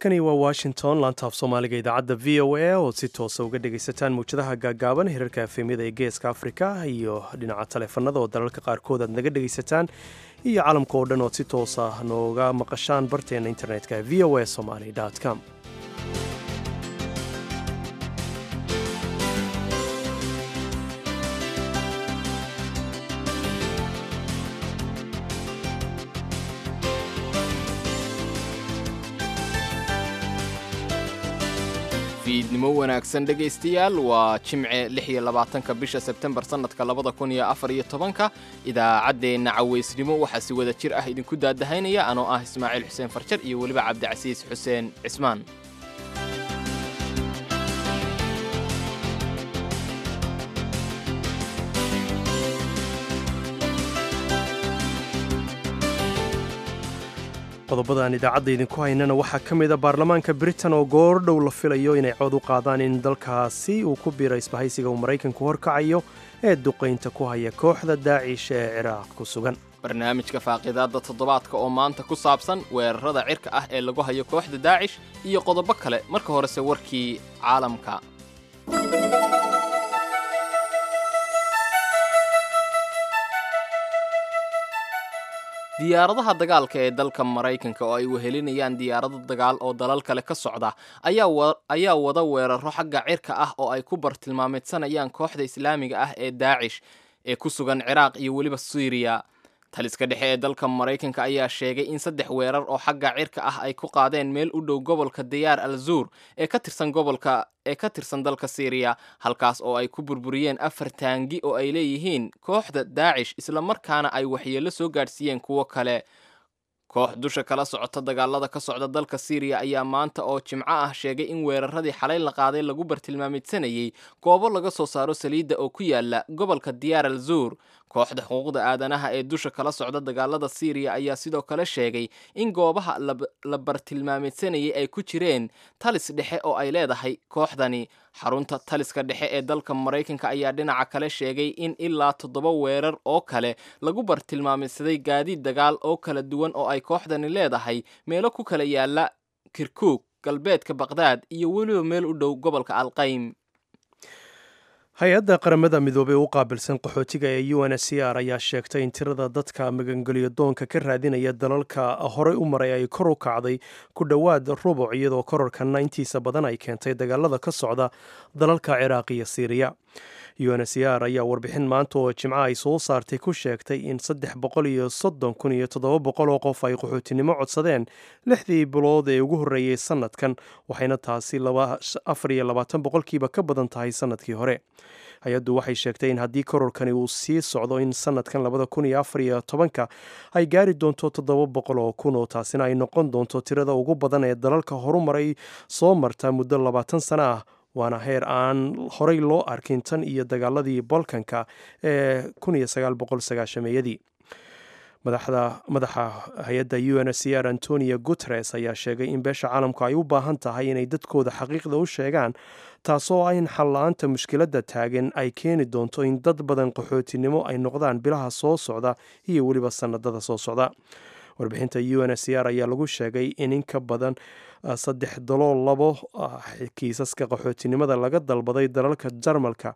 Halkani waa Washington, laantaaf Soomaaliga idaacadda VOA ood si toosa uga dhegaysataan mawjadaha gaagaaban, hirarka FM-yada ee Geeska Afrika iyo dhinaca taleefanada oo dalalka qaarkood aad naga dhegaysataan, iyo caalamka oo dhan ood si toosa nooga maqashaan barteena internetka voasomali com. Fiidnimo wanaagsan, dhegaystayaal. Waa Jimce, 26-ka bisha Sebtembar, sannadka 2014-ka. Idaacaddeenna cawaysnimo waxaa si wada jir ah idinku daadahaynaya anoo ah Ismaaciil Xuseen Farjar iyo weliba Cabdicasiis Xuseen Cismaan. Qodobadaan idaacadda idinku haynana waxaa ka mid a baarlamaanka Britain oo goordhow la filayo inay cod u qaadaan in dalkaasi uu ku biiro isbahaysiga uu Maraykanku horkacayo ee duqaynta ku haya kooxda Daacish ee Ciraaq ku sugan. Barnaamijka faaqidaadda toddobaadka oo maanta ku saabsan weerarada cirka ah ee lagu hayo kooxda Daacish iyo qodobo kale. Marka horese warkii caalamka. Diyaaradaha dagaalka ee dalka Maraykanka oo ay wehelinayaan diyaarado dagaal oo dalal kale ka socda ayaa wada weeraro xagga cirka ah oo ay ku bartilmaameedsanayaan kooxda Islaamiga ah ee Daacish ee ku sugan Ciraaq iyo weliba Siiriya. Taliska dhexe ee dalka Maraykanka ayaa sheegay in saddex weerar oo xagga cirka ah ay ku qaadeen meel u dhow gobolka Diyaar al Zuur ee ka tirsan gobolka ee ka tirsan dalka Siiriya, halkaas oo ay ku burburiyeen afar taangi oo ay leeyihiin kooxda Daacish, islamarkaana ay waxyeello soo gaadhsiiyeen kuwo kale. Koox dusha kala socota dagaalada ka socda dalka Siiriya ayaa maanta oo Jimco ah sheegay in weeraradii xalay la qaaday lagu bartilmaameedsanayey goobo laga soo saaro saliidda oo ku yaala gobolka Diyaar al Zuur. Kooxda xuquuqda aadanaha ee dusha kala socda dagaalada Siiriya ayaa sidoo kale sheegay in goobaha la bartilmaameedsanayay ay ku jireen talis dhexe oo ay leedahay kooxdani. Xarunta taliska dhexe ee dalka Maraykanka ayaa dhinaca kale sheegay in ilaa toddoba weerar oo kale lagu bartilmaameedsaday gaadiid dagaal oo kala duwan oo ay kooxdani leedahay meelo ku kala yaala Kirkuug, galbeedka Baqdaad iyo weliba meel u dhow gobolka Alqaym. Hay-adda Qaramada Midoobey u qaabilsan qaxootiga ee UNHCR ayaa sheegtay in tirada dadka magangelyo doonka ka raadinaya dalalka horey u maray ay kor u kacday ku dhowaad rubuc, iyadoo kororkana intiisa badan ay keentay dagaalada ka socda dalalka Ciraaq iyo Siiriya. UNHCR ayaa warbixin maanta oo Jimco ay soo saartay ku sheegtay in 330,700 oo qof ay qaxootinimo codsadeen 6dii bilood ee ugu horreeyey sanadkan, waxayna taasi 24% ka badan tahay sanadkii hore. Hay-addu waxay sheegtay in haddii kororkani uu sii socdo in sanadkan 2014-ka ay gaari doonto 700,000, oo taasina ay noqon doonto tirada ugu badan ee dalalka horumaray soo marta muddo 20 sano ah, waana heer aan horey loo arkin tan iyo dagaaladii Balkanka ee 1990-meeyadii. Madaxa hay-adda UNHCR, Antonio Guteres, ayaa sheegay in beesha caalamku ay u baahan tahay inay dadkooda xaqiiqda u sheegaan, taasoo ah in xal-la-aanta mushkiladda taagan ay keeni doonto in dad badan qaxootinimo ay noqdaan bilaha soo socda iyo weliba sanadada soo socda. Warbixinta UNHCR ayaa lagu sheegay in in ka badan saddex dalool labo kiisaska qaxootinimada laga dalbaday dalalka Jarmalka,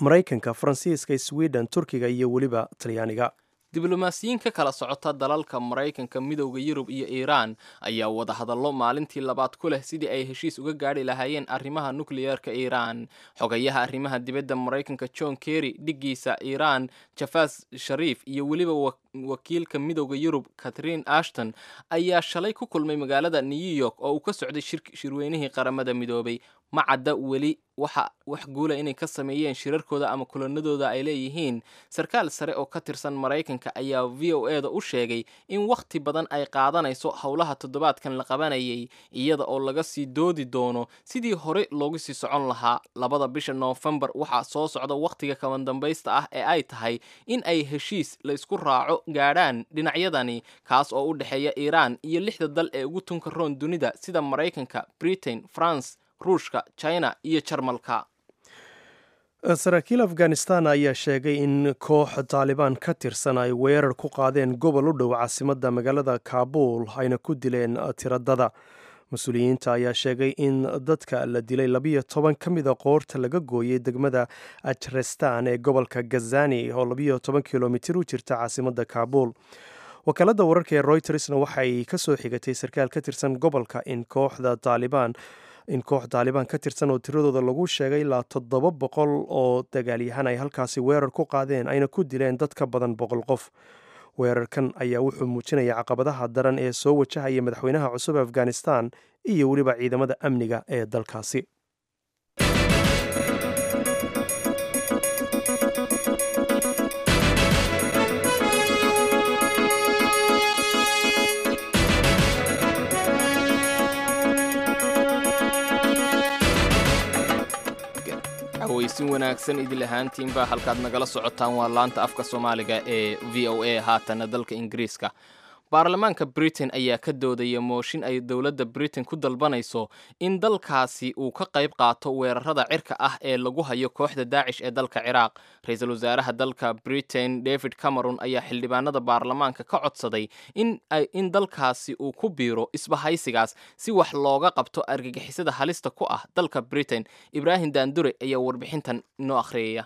Maraykanka, Faransiiska, Sweden, Turkiga iyo weliba Talyaaniga. Diblomaasiyiin ka kala socota dalalka Maraykanka, Midowda Yurub iyo Iiraan ayaa wadahadallo maalintii labaad ku leh sidii ay heshiis uga gaadhi lahaayeen arrimaha nukliyeerka Iiraan. Xogayaha arrimaha dibadda Maraykanka John Kerry, dhiggiisa Iiraan Jafas Shariif iyo weliba wakiilka Midowda Yurub Catherine Ashton ayaa shalay ku kulmay magaalada New York oo uu ka socday shirweynihii Qaramada Midoobay. Ma cadda weli waxa wax guula inay ka sameeyeen shirarkooda ama kulanadooda ay leeyihiin. Sarkaal sare oo ka tirsan Maraykanka ayaa VOA da u sheegay in wakhti badan ay qaadanayso howlaha toddobaadkan la qabanayay, iyada oo laga sii doodi doono sidii hore loogu sii socon lahaa. 2da bisha Noofembar waxaa soo socda wakhtiga kabandambaysta ah ee ay tahay in ay heshiis la isku raaco gaadhaan dhinacyadani, kaas oo u dhexeeya Iiraan iyo lixda dal ee ugu tunka roon dunida, sida Maraykanka, Britain, France, Ruushka, China iyo Jarmalka. Saraakiil Afghanistan ayaa sheegay in koox Taalibaan ka tirsan ay weerar ku qaadeen gobol u dhow caasimadda magaalada Kaabuul, ayna ku dileen tiradada. Mas-uuliyiinta ayaa sheegay in dadka la dilay 12 ka mida qoorta laga gooyey degmada Ajrestan ee gobolka Gazani oo 12 kilomitir u jirta caasimadda Kaabuul. Wakaaladda wararka ee Reutersna waxay ka soo xigatay sarkaal ka tirsan gobolka in kooxda Taalibaan in koox Taalibaan ka tirsan oo tiradooda lagu sheegay ilaa 700 oo dagaalyahan ay halkaasi weerar ku qaadeen, ayna ku dileen dad ka badan 100 qof. Weerarkan ayaa wuxuu muujinaya caqabadaha daran ee soo wajahaya madaxweynaha cusub Afghanistan iyo weliba ciidamada amniga ee dalkaasi. Aweysin wanaagsan idil ahaantiinba, halkaad nagala socotaan waa laanta afka Soomaaliga ee VOA. Haatana dalka Ingiriiska, baarlamaanka Britain ayaa ka doodaya mooshin ay dowladda Britain ku dalbanayso in dalkaasi uu ka qayb qaato weerarada cirka ah ee lagu hayo kooxda Daacish ee dalka Ciraaq. Ra-iisul wasaaraha dalka Britain David Cameron ayaa xildhibaanada baarlamaanka ka codsaday in dalkaasi uu ku biiro isbahaysigaas si wax looga qabto argagixisada halista ku ah dalka Britain. Ibraahim Daandure ayaa warbixintan inoo akhriyaya.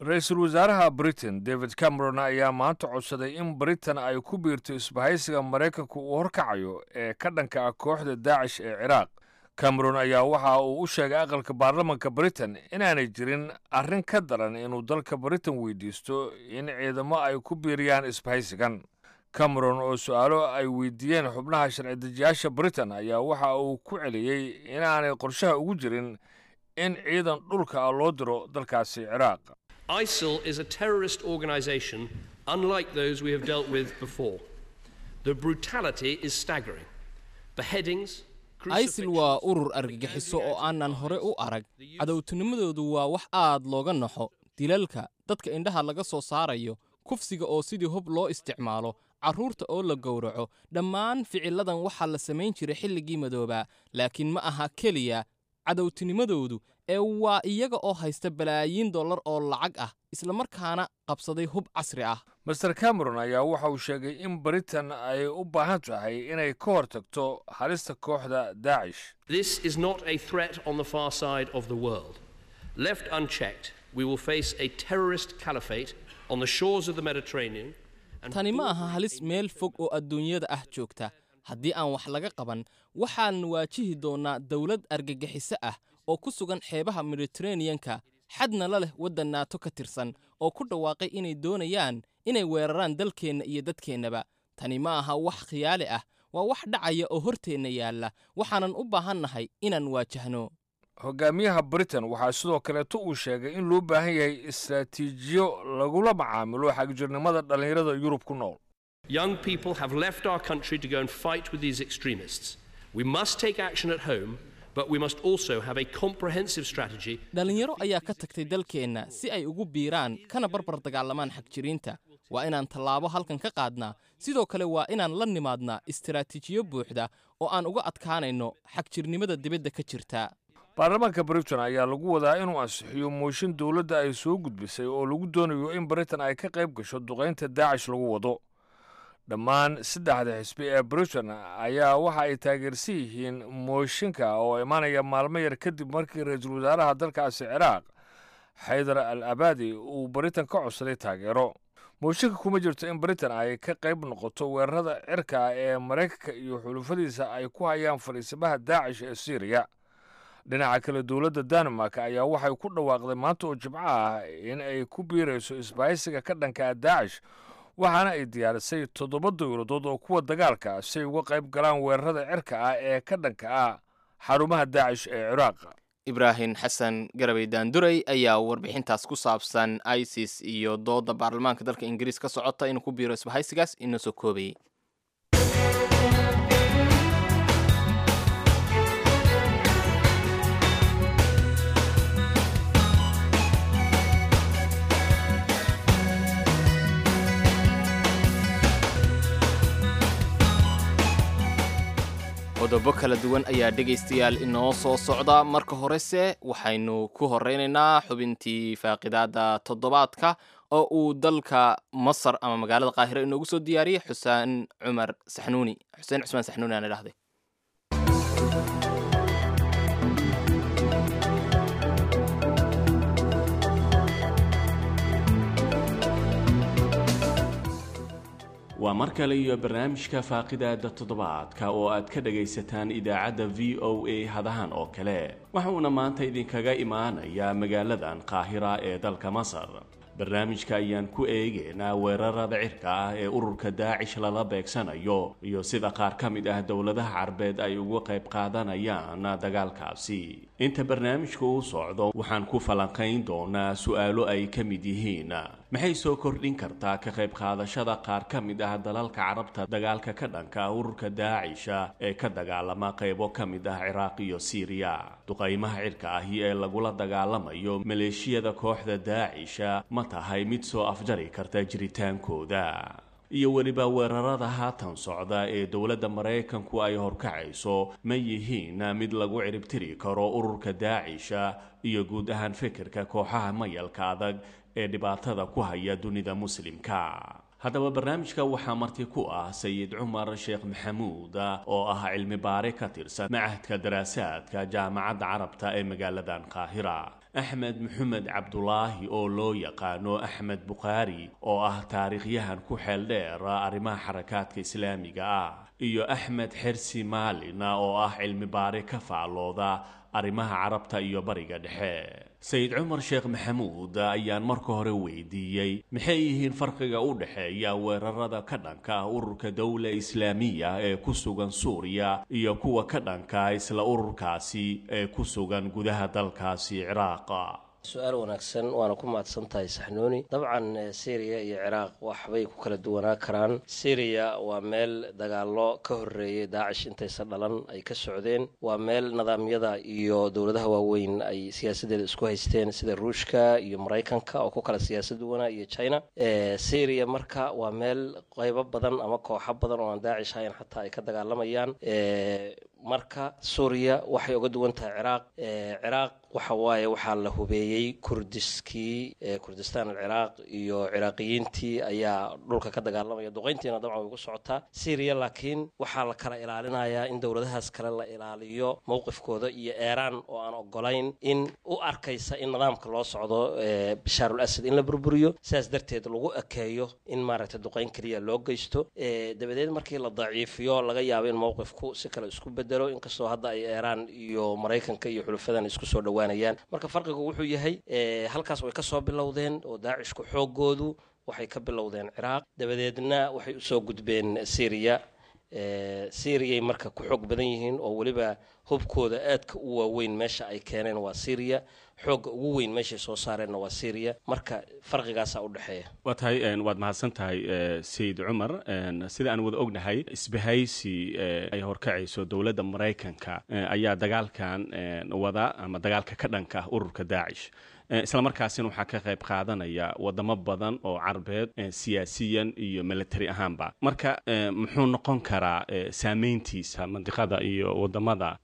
Ra-iisul wasaaraha Britain David Cameron ayaa maanta codsaday in Britain ay ku biirto isbahaysiga Maraykanku uu horkacayo ee ka dhanka ah kooxda Daacish ee Ciraaq. Cameron ayaa waxa uu u sheegay aqalka baarlamanka Britain inaanay jirin arrin ka daran inuu dalka Britain weydiisto in ciidamo ay ku biiriyaan isbahaysigan. Cameron oo su-aalo ay weydiiyeen xubnaha sharci-dejiyaasha Britain ayaa waxa uu ku celiyey inaanay qorshaha ugu jirin in ciidan dhulka ah loo diro dalkaasi Ciraaq. ISIL is a terrorist organization unlike those we have dealt with before. The brutality is staggering. Beheadings, ISIL waa urur argagixiso oo aanan hore u arag. Cadowtinimadoodu waa wax aad looga naxo. Dilalka, dadka indhaha laga soo saarayo, kufsiga oo sidii hub loo isticmaalo, carruurta oo la gowraco, dhammaan ficiladan waxaa la samayn jiray xilligii madoobaa. Laakiin ma aha keliya cadowtinimadoodu ee waa iyaga oo haysta balaayiin dollar oo lacag ah, islamarkaana qabsaday hub casri ah. Master Cameron ayaa waxa uu sheegay in Britain ay u baahan tahay inay ka hortagto halista kooxda Daacish. This is not a threat on the far side of the world. Left unchecked, we will face a terrorist caliphate on the shores of the Mediterranean. Tani ma aha halis meel fog oo adduunyada ah joogta. Haddii aan wax laga qaban, waxaan waajihi doonnaa dowlad argagixiso ah oo ku sugan xeebaha Mediteraneanka, xadna la leh waddan Naato ka tirsan oo ku dhawaaqay inay doonayaan inay weeraraan dalkeenna iyo dadkeennaba. Tani ma aha wax khiyaali ah, waa wax dhacaya oo horteenna yaalla, waxaanan u baahannahay inaan waajahno. Hogaamiyaha Britain waxaa sidoo kaleeto uu sheegay in loo baahan yahay istraatiijiyo lagula macaamilo xagjirnimada dhallinyarada Yurub ku nool. Young people have left our country to go and fight with these extremists. We must take action at home, but we must also have a comprehensive strategy. Dhallinyaro ayaa ka tagtay dalkeenna si ay ugu biiraan kana barbar dagaalamaan xagjiriinta. Waa inaan tallaabo halkan ka qaadnaa, sidoo kale waa inaan la nimaadnaa istaraatiijiyo buuxda oo aan uga adkaanayno xagjirnimada dibadda ka jirta. Baarlamaanka Britain ayaa lagu wadaa inuu ansixiyo mooshin dowladda ay soo gudbisay oo lagu doonayo in Britain ay ka qayb gasho duqaynta Daacish lagu wado. Dhammaan saddexda xisbi ee Britain ayaa waxa ay taageersan yihiin mooshinka oo imaanaya maalmo yar kadib markii ra-iisul wasaaraha dalkaasi Ciraaq Xaydar al Abadi uu Britain ka codsaday taageero. Mooshinka kuma jirto in Britain ay ka qayb noqoto weerarada cirka ee Maraykanka iyo xulufadiisa ay ku hayaan fadhiisimaha Daacish ee Siiriya. Dhinaca kale, dowladda Denmark ayaa waxay ku dhawaaqday maanta oo Jimco ah in ay ku biirayso isbahaysiga ka dhanka ah Daacish, waxaana ay diyaarisay 7 dowladood oo kuwa dagaalka si ay uga qayb galaan weerarada cirka ah ee ka dhanka ah xarumaha Daacish ee Ciraaq. Ibraahim Xasan Garabey Daanduray ayaa warbixintaas ku saabsan ISIS iyo dooda baarlamaanka dalka Ingiriis ka socota inuu ku biiro isbahaysigaas inoo soo koobayay. Qodobo kala duwan ayaa dhegaystayaal inoo soo socda. Marka horese waxaynu ku horeynaynaa xubintii faaqidaada toddobaadka oo uu dalka Masar ama magaalada Qaahiro inoogu soo diyaariyey Xuseen Cumar Saxnuuni, Xuseen Cusmaan Saxnuuni aan idhahday. Waa mar kale iyo barnaamijka Faaqidaada Toddobaadka oo aad ka dhagaysataan idaacadda VOA hadahan oo kale. Waxuuna maanta idinkaga imaanayaa magaaladan Qaahira ee dalka Masar. Barnaamijka ayaan ku eegeynaa weerarada cirka ah ee ururka Daacish lala beegsanayo iyo sida qaar ka mid ah dowladaha Carbeed ay uga qayb qaadanayaan dagaalkaasi. Inta barnaamijka uu socdo waxaan ku falanqayn doonaa su-aalo ay ka mid yihiin: maxay soo kordhin kartaa ka qayb qaadashada qaar ka mid ah dalalka Carabta dagaalka ka dhanka ah ururka Daacisha ee ka dagaalama qaybo ka mid ah Ciraaq iyo Siiriya? Duqaymaha cirka ahi ee lagula dagaalamayo maleeshiyada kooxda Daacisha ma tahay mid soo afjari karta jiritaankooda? Iyo weliba weerarada haatan socda ee dowladda Maraykanku ay horkacayso ma yihiin mid lagu ciribtiri karo ururka Daacisha iyo guud ahaan fikirka kooxaha mayalka adag ee dhibaatada ku haya dunida Muslimka? Haddaba barnaamijka waxaa marti ku ah Sayid Cumar Sheekh Maxamuud oo ah cilmi baare ka tirsan Machadka Daraasaadka Jaamacadda Carabta ee magaaladan Qaahira, Axmed Maxamed Cabdulaahi oo loo yaqaano Axmed Bukhaari oo ah taariikhyahan ku xeel dheer arrimaha xarakaadka islaamiga ah, iyo Axmed Xersi Maalin oo ah cilmi baare ka faallooda arrimaha Carabta iyo Bariga Dhexe. Sayid Cumar Sheekh Maxamuud ayaan marka hore weydiiyey maxay yihiin farqiga u dhexeeya weerarada ka dhanka ah ururka Dowla Islaamiya ee ku sugan Suuriya iyo kuwa ka dhanka isla ururkaasi ee ku sugan gudaha dalkaasi Ciraaqa. Su-aal wanaagsan, waana ku mahadsan tahay, Saxnuuni. Dabcan Syriya iyo Ciraaq waxbay ku kala duwanaa karaan. Syriya waa meel dagaallo ka horreeyay Daacish intaysan dhalan ay ka socdeen. Waa meel nidaamyada iyo dowladaha waaweyn ay siyaasaddeeda isku haysteen, sida Ruushka iyo Maraykanka oo ku kala siyaasad duwanaa iyo China. Syriya marka waa meel qaybo badan ama kooxo badan oo aan Daacish ahayn xataa ay ka dagaalamayaan. Marka Suuriya waxay uga duwan tahay Ciraaq, Ciraaq waxa waaye waxaa la hubeeyey Kurdiskii, Kurdistaan Alciraaq iyo Ciraaqiyiintii ayaa dhulka ka dagaalamaya, duqeyntiina dabcan way ku socotaa. Syriya laakiin waxaa la kala ilaalinayaa in dowladahaas kale la ilaaliyo mowqifkooda iyo Eeraan oo aan ogolayn in u arkaysa in nidaamka loo socdo Bashaarul Asad in la burburiyo, sidaas darteed lagu ekeeyo in maaragtay duqeyn keliya loo geysto, dabadeed markii la daciifiyo laga yaabo in mowqifku si kale isku bedelo, inkastoo hadda ay Eeraan iyo Maraykanka iyo xulufadan isku soo dhowaanayaan. Marka farqigu wuxuu yahay halkaas way kasoo bilowdeen oo Daacishku xoogoodu waxay ka bilowdeen Ciraaq, dabadeedna waxay usoo gudbeen Syriya. Syriyay marka ku xoog badan yihiin oo weliba hubkooda aadka u waaweyn meesha ay keeneen waa Syriya, xoogga ugu weyn meeshay soo saareenna waa Syriya. Marka farqigaasaa u dhexeeya. Waa tahay, waad mahadsan tahay, Sayid Cumar. Sida aan wada ognahay, isbahaysi ay horkacayso dowladda Maraykanka ayaa dagaalkan wada ama dagaalka ka dhanka ah ururka Daacish, isla markaasina waxaa ka qayb qaadanaya wadamo badan oo Carbeed siyaasiyan iyo military ahaanba. Marka muxuu noqon karaa saameyntiisa mandiqada iyo wadamada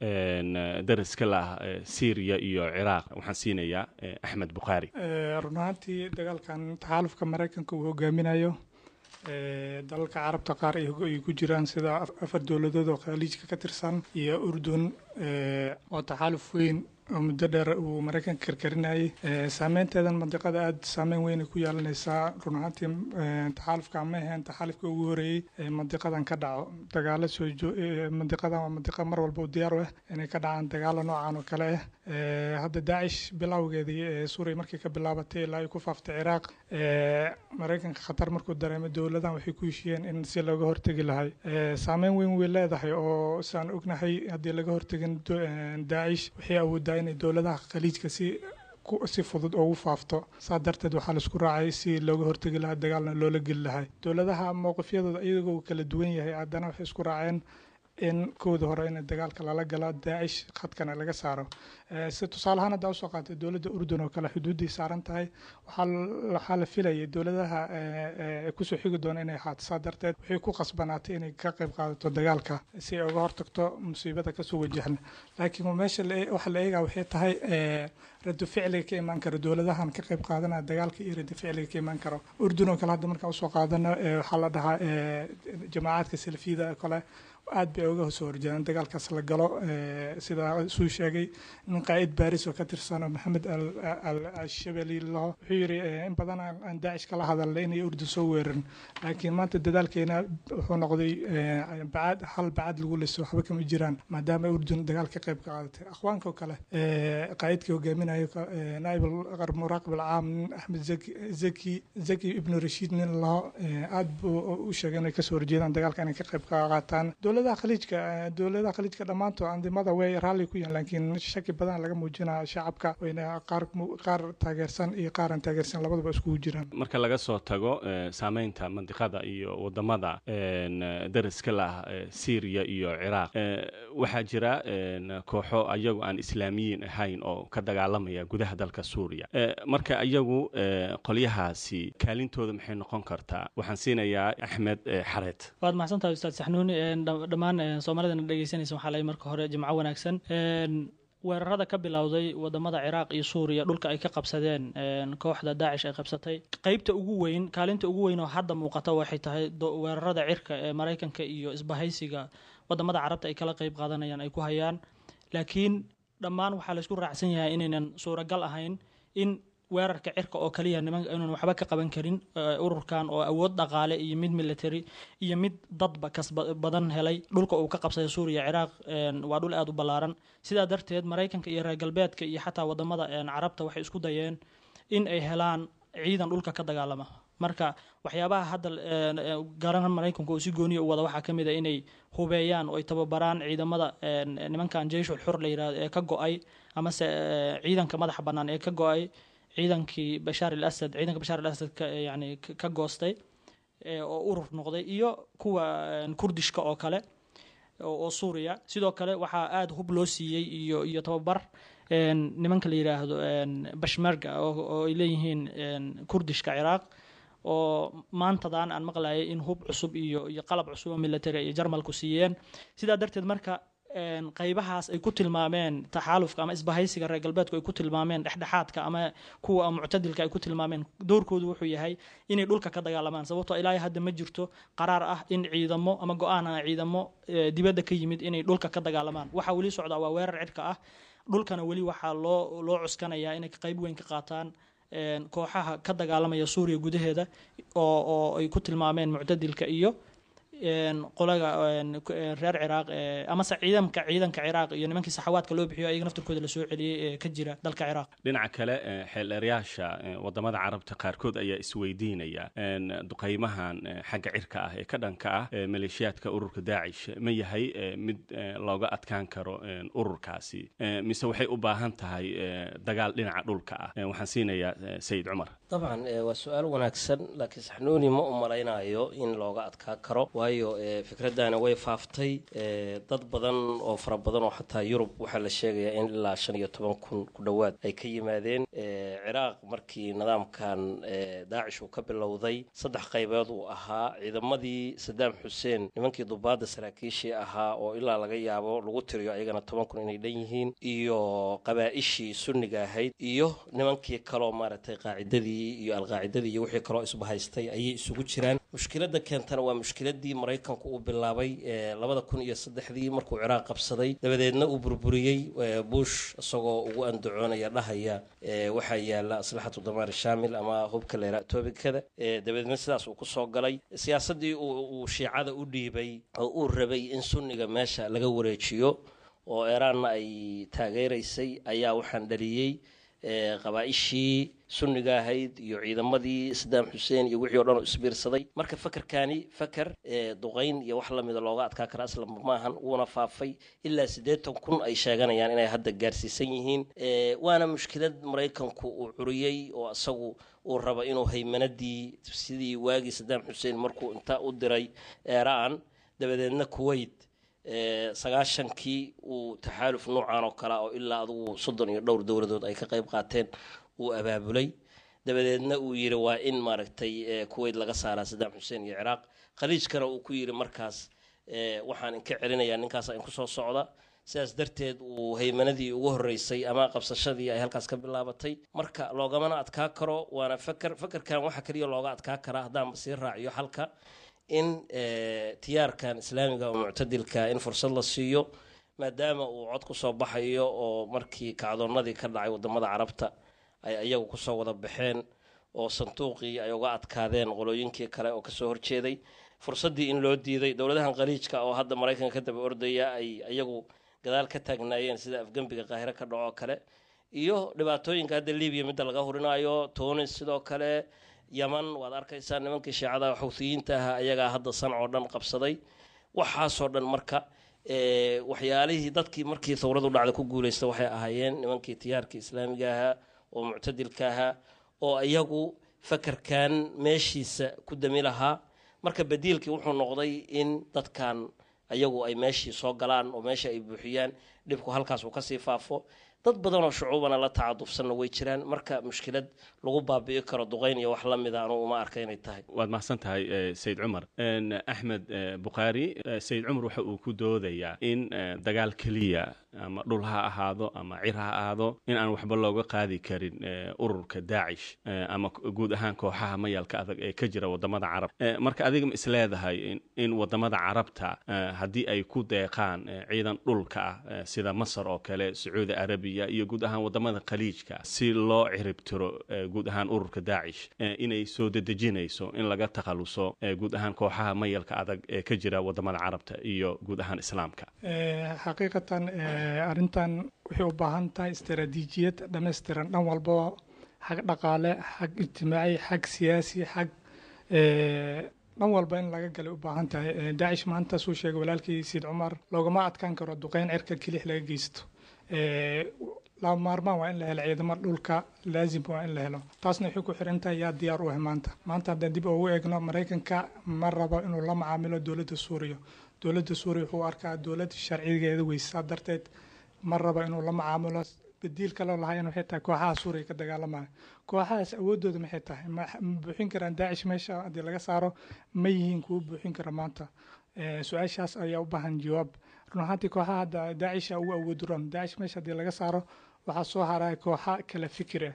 dariska lah Syriya iyo Ciraaq? Waxaan siinayaa Axmed Bukhaari. Run ahaantii dagaalkan taxaalufka Maraykanka uu hogaaminayo, dalalka Carabta qaar ay ku jiraan, sida afar dowladood oo Khaliijka ka tirsan iyo Urdun, waa taxaaluf weyn oo muddo dheer uu Maraykanka karkarinayay. Saameynteedan mandiqada aada saameyn weyn ay ku yeelanaysaa. Run ahaantii taxaalufka ma ahayn taxaalufka ugu horeeyey ee mandiqadan ka dhaco dagaalo soo. Mandiqadan waa mandiqa mar walba u diyaar u ah inay ka dhacaan dagaalo noocan oo kale ah. Hadda Daacish bilowgeedii ee Suuriya markii ka bilaabatay ilaa ay ku faaftay Ciraaq, Maraykanka khatar markuu dareemay, dowladan waxay ku heshiiyeen in si looga hortegi lahay. Saameyn weyn way leedahay oo saan ognahay haddii laga hortegin Daacish waxay awoodaa inay dowladaha Khaliijka si fudud ugu faafto. Saa darteed waxaa laisku raacay si looga hortegi lahaa, dagaalna loola geli lahay. Dowladaha mowqifyadooda iyagoo kala duwan yahay, haddana waxay isku raaceen in kooda hore in dagaalka lala galo Daacish, khadkana laga saaro. Si tusaale ahaan haddaa usoo qaatay dowladda Urdun oo kale, xuduudday saaran tahay, waxaa la filayay dowladaha kusoo xigi doona inay ahaato. Saa darteed waxay ku qasbanaatay inay ka qayb qaadato dagaalka si ay uga hortagto musiibada kasoo wajahna. Laakiin meesha waxa la eegaa waxay tahay rado ficliga ka imaan karo dowladahan ka qayb qaadanaya dagaalka iyo rado ficliga ka imaan karo Urdun oo kale. Hadda markaan usoo qaadano, waxaa la dhahaa jamaacadka Salafiyada oo kale Aad bay uga soo horjeedaan dagaalkaas la galo. Sida suu sheegay nin qaa'id Baris oo ka tirsan oo Maxamed Al Shabali laho, wuxuu yidhi in badan aan Daacish kala hadalnay inay Urdun soo weerarin, laakiin maanta dadaalkeena wuxuu noqday bacad hal bacad lagu liso, waxba kama jiraan, maadaama Urdun dagaal ka qayb qaadatay. Akhwaanka oo kale, qaa'idkii hogaaminayo, naa'ib muraaqib alcaam, nin Axmed Zaki Ibnu Rashiid nin laho, aad buu u sheegay inay kasoo horjeedaan dagaalka inay ka qayb qaataan dowladaha Khaliijka. Dhammaantood andimada way raalli ku yihiin, laakiin shaki badan laga muujinaya shacabka, wayna qaar taageersan iyo qaar aan taageersan labadaba iskugu jiraan. Marka laga soo tago saameynta mandiqada iyo wadamada dariska la ah Syriya iyo Ciraaq, waxaa jira kooxo ayagu aan Islaamiyiin ahayn oo ka dagaalamaya gudaha dalka Suuriya. Marka iyagu qolyahaasi kaalintooda maxay noqon kartaa? Waxaan siinayaa Axmed Xareed. Waad mahadsantahay, Ustaad Saxnuuni. Dhammaan Soomaalidana dhegeysanaysa waxaa lay marka hore jimco wanaagsan. Weerarada ka bilowday wadamada Ciraaq iyo Suuriya, dhulka ay ka qabsadeen kooxda Daacish ay qabsatay, qeybta ugu weyn, kaalinta ugu weyn oo hadda muuqata waxay tahay weerarada cirka ee Maraykanka iyo isbahaysiga wadamada Carabta ay kala qeyb qaadanayaan ay ku hayaan. Laakiin dhammaan waxaa laysku raacsan yahay inaynan suuragal ahayn in weerarka cirka oo kaliya niman inuun waxba ka qaban karin ururkan oo awood dhaqaale iyo mid military iyo mid dadba kas badan helay. Dhulka uu ka qabsaday Suuriya, Ciraaq waa dhul aada u ballaaran. Sidaa darteed Maraykanka iyo reer galbeedka iyo xataa wadamada Carabta waxay isku dayeen in ay helaan ciidan dhulka ka dagaalama. Marka waxyaabaha hadda garan Maraykanku uu si gooniya u wada waxaa ka mid a inay hubeeyaan oo ay tababaraan ciidamada nimankan Jeyshul Xur la yirahdo ee ka go-ay, amase ciidanka madaxa bannaan ee ka go-ay ciidankii Bashaar al Asad, ciidanka Bashaar al Asad ka yani ka goostay oo urur noqday, iyo kuwa Kurdishka oo kale oo Suuriya. Sidoo kale waxaa aada hub loo siiyey iyo tababar nimanka la yiraahdo Bashmarga oo ay leeyihiin Kurdishka Ciraaq, oo maantadan aan maqlayay in hub cusub iyo qalab cusub oo military ay Jarmalku siiyeen. Sidaa darteed marka qaybahaas ay ku tilmaameen taxaalufka ama isbahaysiga reer galbeedku ay ku tilmaameen dhexdhexaadka ama kuwa muctadilka ay ku tilmaameen, doorkoodu wuxuu yahay inay dhulka ka dagaalamaan, sababtoo ilaa hadda ma jirto qaraar ah in ciidamo ama go-aan ah ciidamo dibadda ka yimid inay dhulka ka dagaalamaan. Waxaa weli socdaa waa weerar cirka ah. Dhulkana weli waxaa loo cuskanayaa inay qayb weyn ka qaataan kooxaha ka dagaalamaya Suuriya gudaheeda oo ay ku tilmaameen muctadilka iyo qolaga reer Ciraaq, amase ciidanka Ciraaq iyo nimankii Saxawaadka loo bixiyo, ayaga naftirkooda lasoo celiyey ee ka jira dalka Ciraaq. Dhinaca kale, xeeldheerayaasha wadamada Carabta qaarkood ayaa isweydiinaya duqeymahan xagga cirka ah ee ka dhanka ah maleeshiyaadka ururka Daacish ma yahay mid looga adkaan karo ururkaasi, mise waxay u baahan tahay dagaal dhinaca dhulka ah? Waxaan siinayaa Sayid Cumar. Dabcan waa su-aal wanaagsan, laakiin Saxnuuni ma u malaynayo in looga adkaa karo, waayo fikraddaana way faaftay. Dad badan oo fara badan oo xataa Yurub waxaa la sheegayaa in ilaa 15,000 ku dhowaad ay ka yimaadeen Ciraaq. Markii nidaamkan Daacish uu ka bilowday, saddex qaybood uu ahaa: ciidamadii Sadaam Xuseen, nimankii dubaadda saraakiishii ahaa oo ilaa laga yaabo lagu tiriyo ayagana 10,000 inay dhan yihiin, iyo qabaa-ishii Sunniga ahayd, iyo nimankii kaloo maaragtay Qaacidadii iyo Alqaacidadii iyo wixii kaloo isbahaystay ayay isugu jiraan. Mushkiladda keentana waa mushkiladii Maraykanku uu bilaabay 2003-dii markuu Ciraaq qabsaday, dabadeedna uu burburiyey Bush, isagoo ugu andacoonaya dhahaya waxaa yaala aslaxatu damaar shaamil ama hubka leera atobikada. Dabadeedna sidaas uu kusoo galay siyaasaddii uu Shiicada u dhiibay oo uu rabay in Sunniga meesha laga wareejiyo oo Eraanna ay taageeraysay ayaa waxaan dhaliyey qabaa-ishii Sunniga ahayd iyo ciidamadii Sadaam Xuseen iyo wixii o dhan oo isbiirsaday. Marka fakerkaani faker duqayn iyo wax lamida looga adkaa kara aslanba maahan, wuuna faafay, ilaa 80,000 ay sheeganayaan inay hadda gaarsiisan yihiin. Waana mushkilad Maraykanku uu curiyey oo isagu uu rabo inuu haymanadii sidii waagii Sadaam Xuseen markuu intaa u diray Eraan, dabadeedna Kuwait 90-kii uu taxaaluf noocan oo kale oo ilaa adugu 30 iyo dhowr dowladood ay ka qayb qaateen uu abaabulay, dabadeedna uu yidhi waa in maaragtay Kuwait laga saaraa Sadaam Xuseen iyo Ciraaq. Khaliijkana uu ku yidhi markaas waxaan inka celinayaa ninkaasa inku soo socda. Sidaas darteed uu haymanadii ugu horreysay ama qabsashadii ay halkaas ka bilaabatay. Marka loogamana adkaa karo, waana faker. Fakerkan waxaa keliya looga adkaa karaa, haddaan sii raaciyo xalka, In tiyaarkan islaamiga oo muctadilka in fursad la siiyo, maadaama uu cod kusoo baxayo, oo markii kacdoonnadii ka dhacay wadamada Carabta ay iyagu kusoo wada baxeen oo sanduuqii ay uga adkaadeen qolooyinkii kale oo kasoo horjeeday, fursaddii in loo diiday dowladahan Khaliijka oo hadda Maraykanka ka daba ordaya ay iyagu gadaal ka taagnaayeen, sida afgembiga Qaahire ka dhaco kale iyo dhibaatooyinka hadda Libiya midda laga hurinayo, Tunis sidoo kale, Yaman waad arkaysaa nimankii Shiicada Xuuthiyiinta ahaa ayagaa hadda Sancoo dhan qabsaday. Waxaasoo dhan marka waxyaalihii dadkii markii thawradu dhacda ku guuleysta waxay ahaayeen nimankii tiyaarkii islaamiga ahaa oo muctadilka ahaa oo iyagu fakarkan meeshiisa ku dami lahaa. Marka badiilkii wuxuu noqday in dadkan ayagu ay meeshii soo galaan oo meesha ay buuxiyaan, dhibku halkaas uu kasii faafo. Dad badan oo shucuubana la tacadufsanna way jiraan. Marka mushkilad lagu baabi'i karo duqeyn iyo wax la mida anugu uma arka inay tahay. Waad mahadsan tahay, Sayid Cumar. Axmed Bukhaari, Sayid Cumar waxa uu ku doodayaa in dagaal keliya, ama dhul ha ahaado ama cir ha ahaado, in aan waxba looga qaadi karin ururka Daacish ama guud ahaan kooxaha mayalka adag ee ka jira wadamada Carab. Marka adiga ma isleedahay in wadamada Carabta haddii ay ku deeqaan ciidan dhulka ah, sida Masar oo kale, Sacuudi Arabiya iyo guud ahaan wadamada Khaliijka, si loo ciribtiro guud ahaan ururka Daacish, inay soo dedejinayso in laga takhaluso guud ahaan kooxaha mayalka adag ee ka jira wadamada Carabta iyo guud ahaan Islaamka? Xaqiiqatan arrintan waxay u baahan tahay istaraatiijiyad dhammaystiran dhan walbaba, xag dhaqaale, xag ijtimaaci, xag siyaasi, xag dhan walba in laga galay u baahan tahay. Daacish maanta, suu sheegay walaalkii Siid Cumar, loogama adkaan karo duqeyn cirka kelix laga geysto. Lama maarmaan waa in la helo ciidamo dhulka, laazim waa in la helo. Taasna waxay ku xiran tahay yaa diyaar u ah maanta. Maanta haddaan dib ugu eegno, Maraykanka ma rabo inuu la macaamilo dowladda Suuriya. Dowladda Suuriya wuxuu arkaa dowlad sharcigeeda weysaa, darteed ma rabo inuu la macaamilo. Badiil kaloo lahayn waxay tahay kooxaha Suuriya ka dagaalamaya. Kooxahaas awooddooda maxay tahay? Ma buuxin karaan Daacish meesha haddii laga saaro? Ma yihiin kuwo buuxin kara maanta? Su-aashaas ayaa u baahan jawaab. Run ahaantii kooxaha hadda Daacisha ugu awood roon. Daacish meesha haddii laga saaro, waxaa soo haraya kooxa kala fikir ah,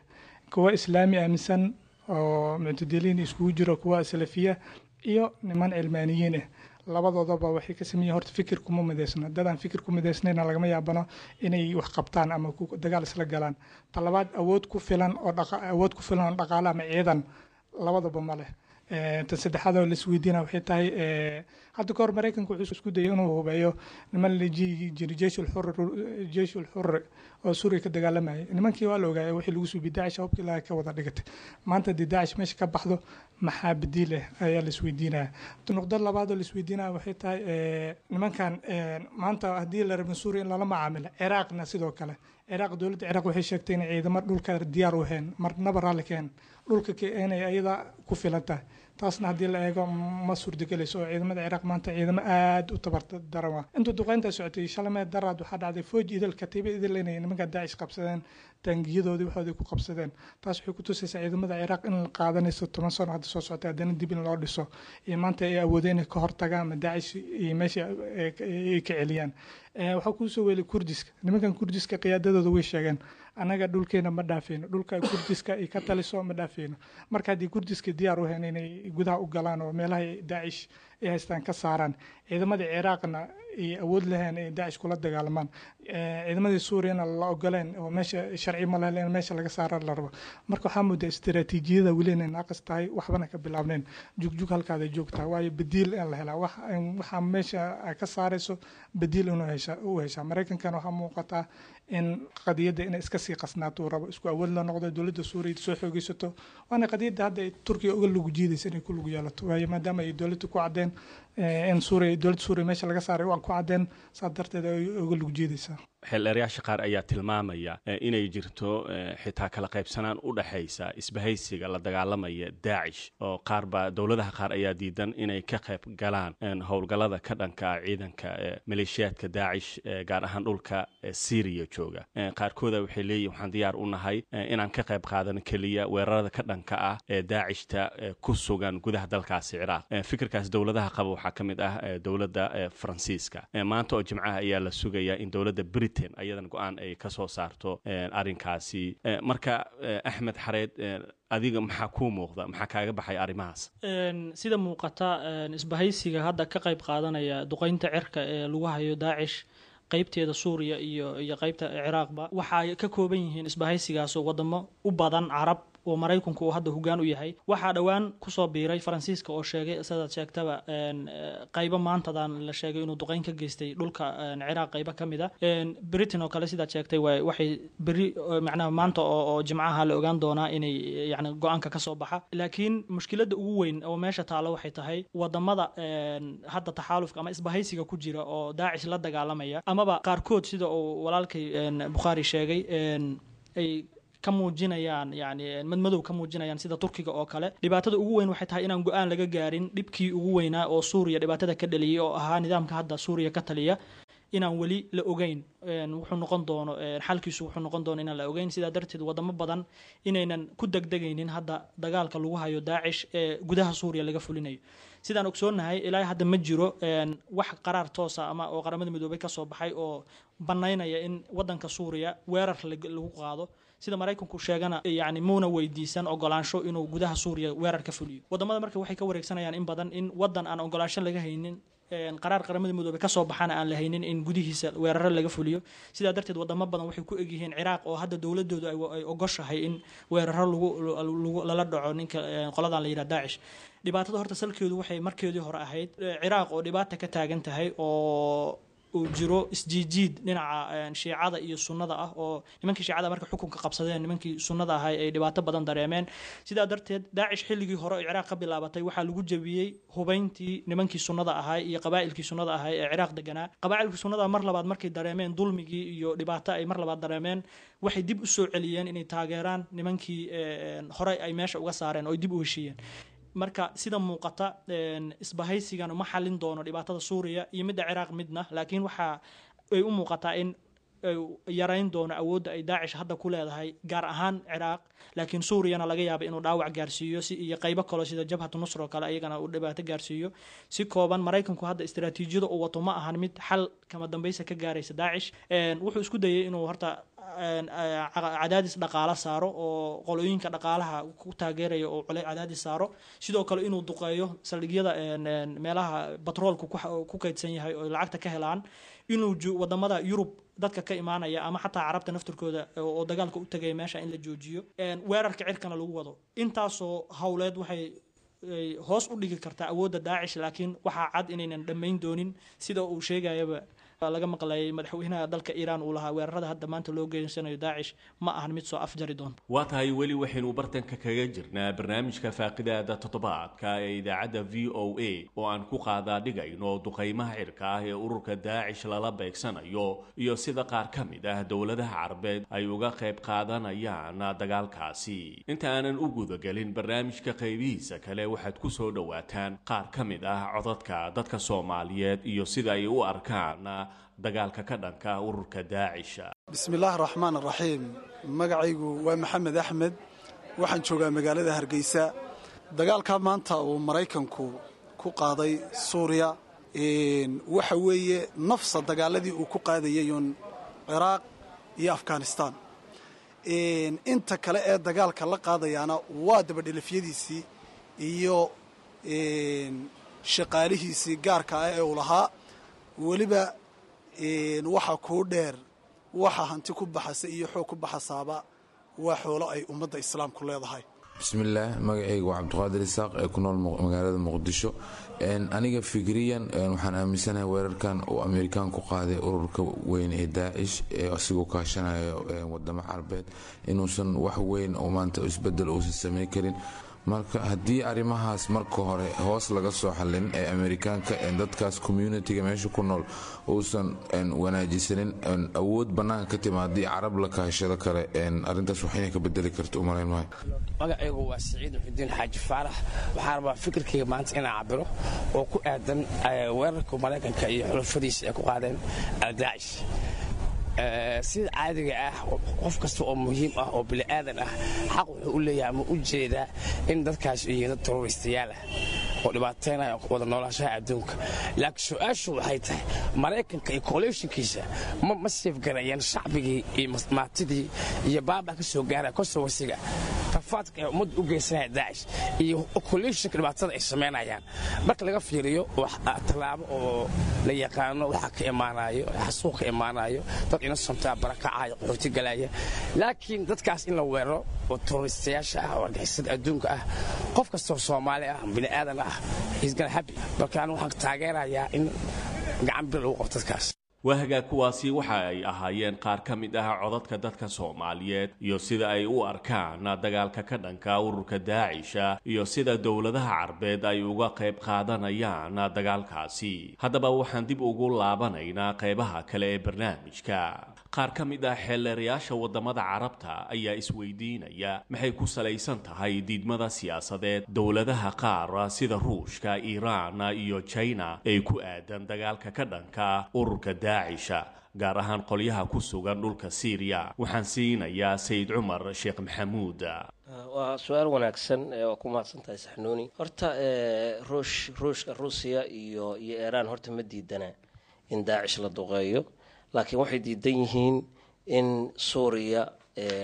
kuwa islaami aaminsan oo muctadiliin iskugu jiro, kuwa salafiya iyo niman cilmaaniyiin ah. Labadoodaba waxay ka sameeyiin horta fikir kuma midaysna. Dadaan fikir ku midaysnayna lagama yaabano inay wax qabtaan ama dagaal isla galaan. Talabaad, awood ku filan oo awood ku filan oo dhaqaale ama ciidan labadaba ma leh. Tan saddexaad oo laisweydiina waxay tahay, hadda kahor Maraykanka wuxuu isku dayay inuu hubeeyo niman la jiray Jeyshul Xurri oo Suuriya ka dagaalamayay. Nimankii waa la ogaayay wixii lagu suubi Daacish, hubkii laga ka wada dhigatay. Maanta haddii Daacish meesha ka baxdo, maxaa badiil ah ayaa laisweydiinaya. Nuqdad labaad oo laisweydiinaya waxay tahay, nimankan maanta haddii la rabin Suuriya in lala macaamilo, Ciraaqna sidoo kale. Ciraaq, dowladda Ciraaq waxay sheegtay inay ciidamo dhulka diyaar u ahayn, marnaba raalli keen dhulka inay ayada ku filan tahay. Taasna haddii la eego ma suurtagelayso, oo ciidamada Ciraaq maanta ciidamo aada u tabar daran waa. Intuu duqeynta socotay shalmee daraad, waxaa dhacday fooj idil, katiiba idil, inay nimanka Daacish qabsadeen, taangiyadoodii waxoodii ku qabsadeen. Taas waxay ku tusaysaa ciidamada Ciraaq in la qaadanayso 10 sano hadda soo socotay haddana dib in loo dhiso iyo maanta ay awoodeen inay ka hortagaan ama Daacish iyo meesha ay ka celiyaan. Waxaa kuusoo weelay Kurdiska. Nimankan Kurdiska qiyaadadooda way sheegeen: annaga dhulkeena ma dhaafeyno, dhulka Kurdiska ay ka taliso ma dhaafeyno. Marka haddii Kurdiska diyaar u hayn inay gudaha u galaan oo meelaha Daacish ay haystaan ka saaraan, ciidamadii Ciraaqna ay awood lahayn ay Daacish kula dagaalamaan, ciidamadii Suuriyana la ogoleen oo meesha sharci ma lahayn in meesha laga saara la rabo, marka waxaa moodaa istaraatiijiyada weli inay naaqis tahay, waxbana ka bilaabneen, jugjug halkaada joogtaa. Waayo, badiil in la helaa, waxaa meesha ka saarayso badiil inuu hesha u heshaa. Maraykankana waxaa muuqataa in qadiyadda inay iska sii qasnaato uu rabo, isku awood la noqdo, dowladda Suuriya soo xoogeysato. Waana qadiyadda hadda ay Turkiya uga lugu jiidaysa inay ku lug yeelato, waayo maadaama ay dowladda ku caddeen in Suuriya, dowladda Suuriya meesha laga saaray waa ku caddeen, saas darteed ay uga lug jiidaysaa. Xeeldheerayaasha qaar ayaa tilmaamaya inay jirto xitaa kala qaybsanaan u dhexaysa isbahaysiga la dagaalamaya Daacish, oo qaar baa dowladaha qaar ayaa diidan inay ka qayb galaan howlgallada ka dhanka ah ciidanka maleeshiyaadka Daacish, gaar ahaan dhulka Syriya jooga. Qaarkooda waxay leeyihin waxaan diyaar u nahay inaan ka qayb qaadano keliya weerarada ka dhanka ah ee Daacishta ku sugan gudaha dalkaasi Ciraaq. Fikirkaas dowladaha qaba waxaa ka mid ah dowladda Faransiiska. Maanta oo Jimcaha ayaa la sugayaa in dowladda Britain ayadan go-aan ay ka soo saarto arrinkaasi. Marka Axmed Xareed, Adiga maxaa kuu muuqda, maxaa kaaga baxay arrimahaas? Sida muuqata, isbahaysiga hadda ka qayb qaadanaya duqeynta cirka ee lagu hayo Daacish, qeybteeda Suuriya iyo qeybta Ciraaqba, waxay ka kooban yihiin isbahaysigaasoo wadamo u badan Carab oo Maraykanku uu hadda hoggaan u yahay. Waxaa dhowaan kusoo biiray Faransiiska oo sheegay, sidaad sheegtaba, qaybo maantadan la sheegay inuu duqeyn ka geystay dhulka Ciraaq qaybo ka mid a. Britain oo kale, sidaad sheegtay, waxay beri, macnaha maanta oo Jimcaha, la ogaan doonaa inay yani go-aanka kasoo baxa. Laakiin mushkiladda ugu weyn oo meesha taalo waxay tahay wadamada hadda taxaalufka ama isbahaysiga ku jira oo Daacish la dagaalamaya, amaba qaarkood, sida uu walaalkay Bukhaari sheegay, ay ka muujinayaan yani madmadow ka muujinayaan, sida Turkiga oo kale. Dhibaatada ugu weyn waxay tahay inaan go-aan laga gaarin dhibkii ugu weynaa oo Suuriya dhibaatada ka dhaliyay, oo ahaa nidaamka hadda Suuriya ka taliya, inaan weli la ogeyn wuxuu noqon doono xalkiisu, wuxuu noqon doono inaan la ogeyn. Sidaa darteed wadamo badan inaynan ku degdegaynin hadda dagaalka lagu hayo Daacish ee gudaha Suuriya laga fulinayo. Sidaan ogsoonnahay, ilaa hadda ma jiro wax qaraar toosa ama oo Qaramada Midoobay kasoo baxay oo banaynaya in wadanka Suuriya weerar lagu qaado. Sida Maraykanku sheegana, yani muuna weydiisan ogolaansho inuu gudaha Suuriya weerar ka fuliyo. Wadamada marka waxay ka wareegsanayaan in badan in wadan aan ogolaansho laga haynin, qaraar Qaramada Midoobey kasoo baxana aan la haynin, in gudihiisa weeraro laga fuliyo. Sidaa darteed wadamo badan waxay ku egyihiin Ciraaq, oo hadda dowladoodu ay ogoshahay in weeraro lagu lala dhaco ninka qoladan la yidhaha Daacish. Dhibaatada horta salkeedu waxay markeedii hore ahayd Ciraaq oo dhibaata ka taagan tahay, oo uu jiro isjiijiid dhinaca Shiicada iyo Sunnada ah, oo nimankii Shiicada marka xukunka qabsadeen, nimankii Sunnada ahay ay dhibaato badan dareemeen. Sidaa darteed Daacish xilligii hore oo Ciraaq ka bilaabatay waxaa lagu jabiyey hubayntii nimankii Sunnada ahay iyo qabaa'ilkii Sunnada ahay ee Ciraaq deganaa. Qabaa'ilkii Sunnada mar labaad markay dareemeen dulmigii iyo dhibaato ay mar labaad dareemeen, waxay dib u soo celiyeen inay taageeraan nimankii hore ay meesha uga saareen oo ay dib u heshiiyeen. Marka sida muuqata, isbahaysigan uma xalin doono dhibaatada Suuriya iyo midda Ciraaq midna, laakiin waxa ay u muuqataa in yarayn doono awoodda ay Daacish hadda ku leedahay, gaar ahaan Ciraaq. Laakiin Suuriyana laga yaaba inuu dhaawac gaarsiiyo si iyo qaybo kaleo sida Jabhatu Nusr oo kale ayagana uu dhibaato gaarsiiyo. Si kooban, Maraykanku hadda istaraatiijiyada uu wato ma ahan mid xal kama dambaysa ka gaaraysa Daacish. Wuxuu isku dayay inuu horta cadaadis dhaqaalo saaro oo qolooyinka dhaqaalaha ku taageeraya oo cadaadis saaro, sidoo kale inuu duqeeyo saldhigyada meelaha batroolku ku kaydsan yahay oo lacagta ka helaan, inuu wadamada Yurub dadka ka imaanaya ama xataa Carabta naftirkooda oo dagaalka u tagaya meesha in la joojiyo, weerarka cirkana lagu wado. Intaasoo howleed waxay hoos u dhigi kartaa awoodda Daacish, laakiin waxaa cad inaynan dhammayn doonin. Sida uu sheegayaba laga maqlayay madaxweynaha dalka Iiraan uu lahaa, weerarada hadda maanta loo geysanayo Daacish ma ahan mid soo afjari doonta. Waa tahay, weli waxaynu bartanka kaga jirnaa barnaamijka faaqidaada toddobaadka ee idaacadda VOA oo aan ku qaadaa dhigayno duqaymaha cirka ah ee ururka Daacish lala beegsanayo iyo sida qaar ka mid ah dowladaha Carbeed ay uga qayb qaadanayaan dagaalkaasi. Inta aanan u gudagelin barnaamijka qaybihiisa kale, waxaad ku soo dhowaataan qaar ka mid ah codadka dadka Soomaaliyeed iyo sida ay u arkaan dagaalka ka dhanka ururka Daacisha. Bismi illaahi araxmaan araxiim. Magacaygu waa Maxamed Axmed, waxaan joogaa magaalada Hargeysa. Dagaalkaa maanta uu Maraykanku ku qaaday Suuriya waxa weeye nafsa dagaaladii uu ku qaadayay uun Ciraaq iyo Afghanistaan. Inta kale ee dagaalka la qaadayaana waa dabadhelafyadiisii iyo shaqaalihiisii gaarka ah ee uu lahaa. Weliba waxa kuu dheer, waxa hanti ku baxasa iyo xoog ku baxasaaba waa xoolo ay ummadda Islaamku leedahay. Bismillaah, magacayga waa Cabdiqaadir Isaaq ee ku nool magaalada Muqdisho. Aniga fikriyan waxaan aaminsanahay weerarkan uu Amerikaan ku qaaday ururka weyn ee Daacish ee asigoo kaashanayo wadamo Carbeed inuusan wax weyn oo maanta isbedel uusan samayn karin. Marka haddii arrimahaas marka hore hoos laga soo xallin ee Amerikaanka dadkaas communitiga meesha ku nool uusan wanaajisanin, awood bannaanka ka timaadii Carab la kaashado kale, arrintaas wax inay ka bedeli karto umalayn maayo. Magacaygu waa Siciid Muxudiin Xaaji Faarax. Waxaan rabaa fikirkayga maanta inaan cabiro oo ku aadan weerarka Maraykanka iyo xulafadiisa ay ku qaadeen Aldaacish. Sida caadiga ah, qof kasta oo muhiim ah oo bini'aadan ah xaq wuxuu u leeyahay ama u jeedaa in dadkaas yihiin dad terroristayaal ah oo dhibaateynaya wada noolaanshaha adduunka. Laakiin su-aashu waxay tahay, Maraykanka iyo coalitionkiisa ma seefgarayeen shacbigii iyo maatidii iyo baaba ka soo gaaraya constituensiga Rafaadka ay ummadda u geysanaya Daacish iyo coalitionka dhibaatada ay samaynayaan marka laga fiiriyo, tallaabo oo la yaqaano waxaa ka imaanayo xasuuq, ka imaanayo dad innocent-aa barakacaya, qaxooti galaya. Laakiin dadkaas in la weeraro oo terroristayaasha ah oo argixisada adduunka ah, qof kastoo Soomaali ah, bini aadan ah, is gonna happy. Marka anigu waxaan taageerayaa in gacan bir lagu qabto dadkaas. Waa hagaag, kuwaasi waxa ay ahaayeen qaar ka mid ah codadka dadka Soomaaliyeed iyo sida ay u arkaan dagaalka ka dhanka ururka Daacisha iyo sida dowladaha Carbeed ay uga qayb qaadanayaan dagaalkaasi. Haddaba waxaan dib ugu laabanaynaa qaybaha kale ee barnaamijka. Qaar ka mid ah xeelleerayaasha waddamada Carabta ayaa isweydiinaya maxay ku salaysan tahay diidmada siyaasadeed dowladaha qaar sida Ruushka, Iiraan iyo China ee ku aadan dagaalka ka dhanka ururka Daacisha, gaar ahaan qolyaha ku sugan dhulka Siiriya. Waxaan siinayaa Sayid Cumar Sheekh Maxamuud. Waa su-aal wanaagsan, waa ku mahadsan tahay, Saxnuuni. Horta Ruushka, Ruusiya iyo Iiraan horta ma diidana in Daacish la duqeeyo, laakiin waxay diidan yihiin in Suuriya,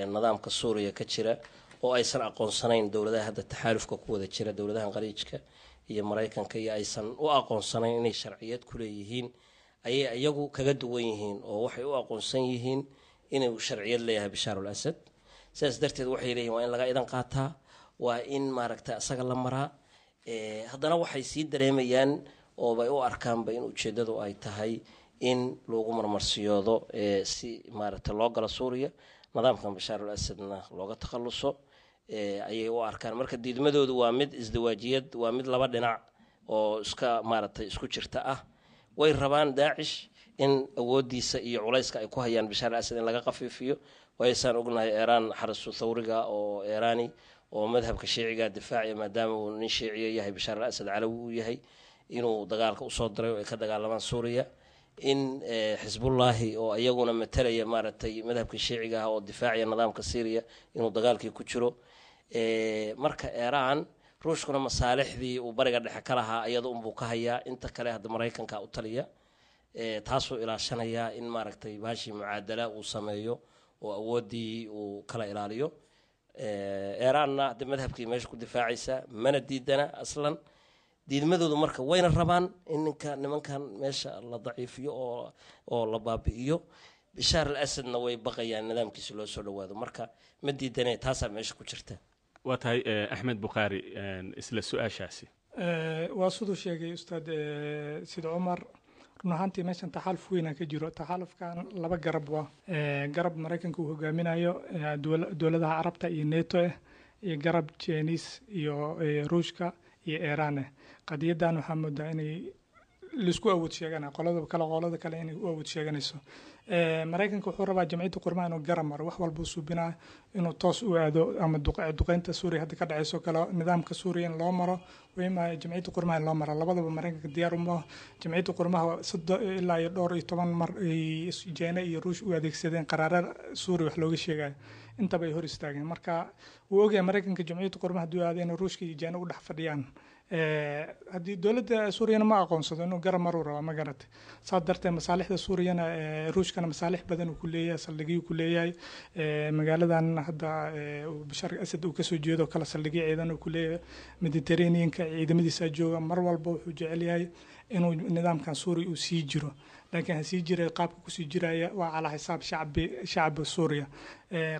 nidaamka Suuriya ka jira oo aysan aqoonsanayn dowladaha hadda taxaalufka ku wada jira, dowladahan Khaliijka iyo Maraykanka, iyo aysan u aqoonsanayn inay sharciyad ku leeyihiin ayay iyagu kaga duwan yihiin, oo waxay u aqoonsan yihiin inuu sharciyad leeyahay Bashaar al Asad. Sidaas darteed waxay leeyihin waa in laga idan qaataa, waa in maaragta isaga la maraa. Haddana waxay sii dareemayaan oobay u arkaanba in ujeeddadu ay tahay in lagu marmarsiyoodo si maaragta loo galo Suuriya, nidaamkan Bashaar al Asadna looga takhaluso ayay u arkaan. Marka diidmadoodu waa mid isdawaajiyad, waa mid laba dhinac oo iska maaragtay isku jirta ah. Way rabaan Daacish in awoodiisa iyo culayska ay ku hayaan Bashaar al Asad in laga qafiifiyo, waysaan ognahay Eeraan xarasu thawriga oo Eeraani oo madhabka Shiiciga difaaciya, maadaama uu nin Shiiciya yahay Bashaar al Asad, calawi uu yahay, inuu dagaalka usoo diray oo ay ka dagaalamaan Suuriya, in Xisbullaahi oo iyaguna matalaya maaragtay madhabka Shiiciga ah oo difaacaya nidaamka Syriya inuu dagaalkii ku jiro. Marka Eeraan, Ruushkuna masaalixdii uu Bariga Dhexe ka lahaa iyada unbuu ka hayaa, inta kale hadda Maraykanka u taliya, taasuu ilaashanayaa in maaragtay baashii mucaadala uu sameeyo oo awooddii uu kala ilaaliyo. Eeraanna hadda madhabkii meesha ku difaacaysa, mana diidana aslan diidmadoodu. Marka wayna rabaan in ninka nimankan meesha la daciifiyo oo la baabi'iyo. Bashaar al Asadna way baqayaan nidaamkiisa loo soo dhawaado. Marka ma diidane, taasaa meesha ku jirta. Waa tahay. Axmed Bukhaari, isla su-aashaasi. Waa siduu sheegay Ustaad Sid Cumar. Run ahaantii meeshan taxaaluf weyna ka jiro. Taxaalufkan laba garab waa garab Maraykanka uu hogaaminayo, dowladaha Carabta iyo NATO ah, iyo garab Chinese iyo Ruushka iyo Iiraan ah. Qadiyadan waxaa moodaa inay laisku awood sheegana, qolada kale qolada kale inay u awood sheeganayso. Maraykanka wuxuu rabaa Jamciyadda Qurmaha inuu garab maro, wax walbuu suubinaa inuu toos u aado ama duqeynta Suuriya hadda ka dhacayso kale, nidaamka Suuriya in loo maro wima Jamciyadda Qurmaha in loo maro, labadaba Maraykanka diyaar uma. Jamciyadda Qurmaha 30 ilaa iyo dhowr iyo toban mar ay Jeene iyo Ruush u adeegsadeen qaraara Suuriya wax looga sheegayo, intaba ay hor istaageen. Marka wuu ogyahay Maraykanka Jamciyadda Qurmaha hadduu aado inuu Ruushka iyo Jeene u dhex fadhiyaan. Haddii dowladda Suuriyana ma aqoonsado, inuu garab maruu rabaa, ma garatay? Saas darteed masaalixda Suuriyana, Ruushkana masaalix badan uu ku leeyahay, saldhigyo ku leeyahay magaaladan hadda Bashaar Asad uu kasoo jeedo kale, saldhigyo ciidan uu ku leeyahay Mediterraneanka, ciidamadiisa jooga. Mar walba wuxuu jecel yahay inuu nidaamkan Suuriya uu sii jiro, laakiin ha sii jiray, qaabka kusii jiraya waa calaa xisaab shacbi Suuriya.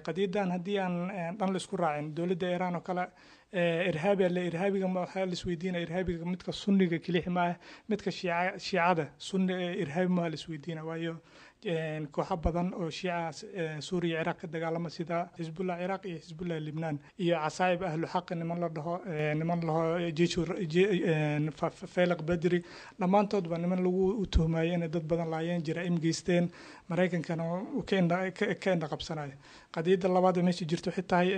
Qadiyadan haddii aan dhan la isku raacin, dowladda Iiraan oo kale irhaabi alle, irhaabiga waxaa la isweydiinaya irhaabiga midka Sunniga kelixi maaha, midka Shiicada Sunni irhaabi maaha la isweydiina, waayo kooxo badan oo Shiica Suuriya, Ciraaq ka dagaalama, sida Xisbullah Ciraaq iyo Xisbullah Libnaan iyo Casaa'ib Ahlu Xaq niman la dhaho, niman laho Jeeshu Faylaq Badri, dhammaantoodba niman lagu tuhmayo inay dad badan laayeen, jaraa'im geysteen, Maraykankana ka indha qabsanayo. Qadiyadda labaad ee meesha jirto waxay tahay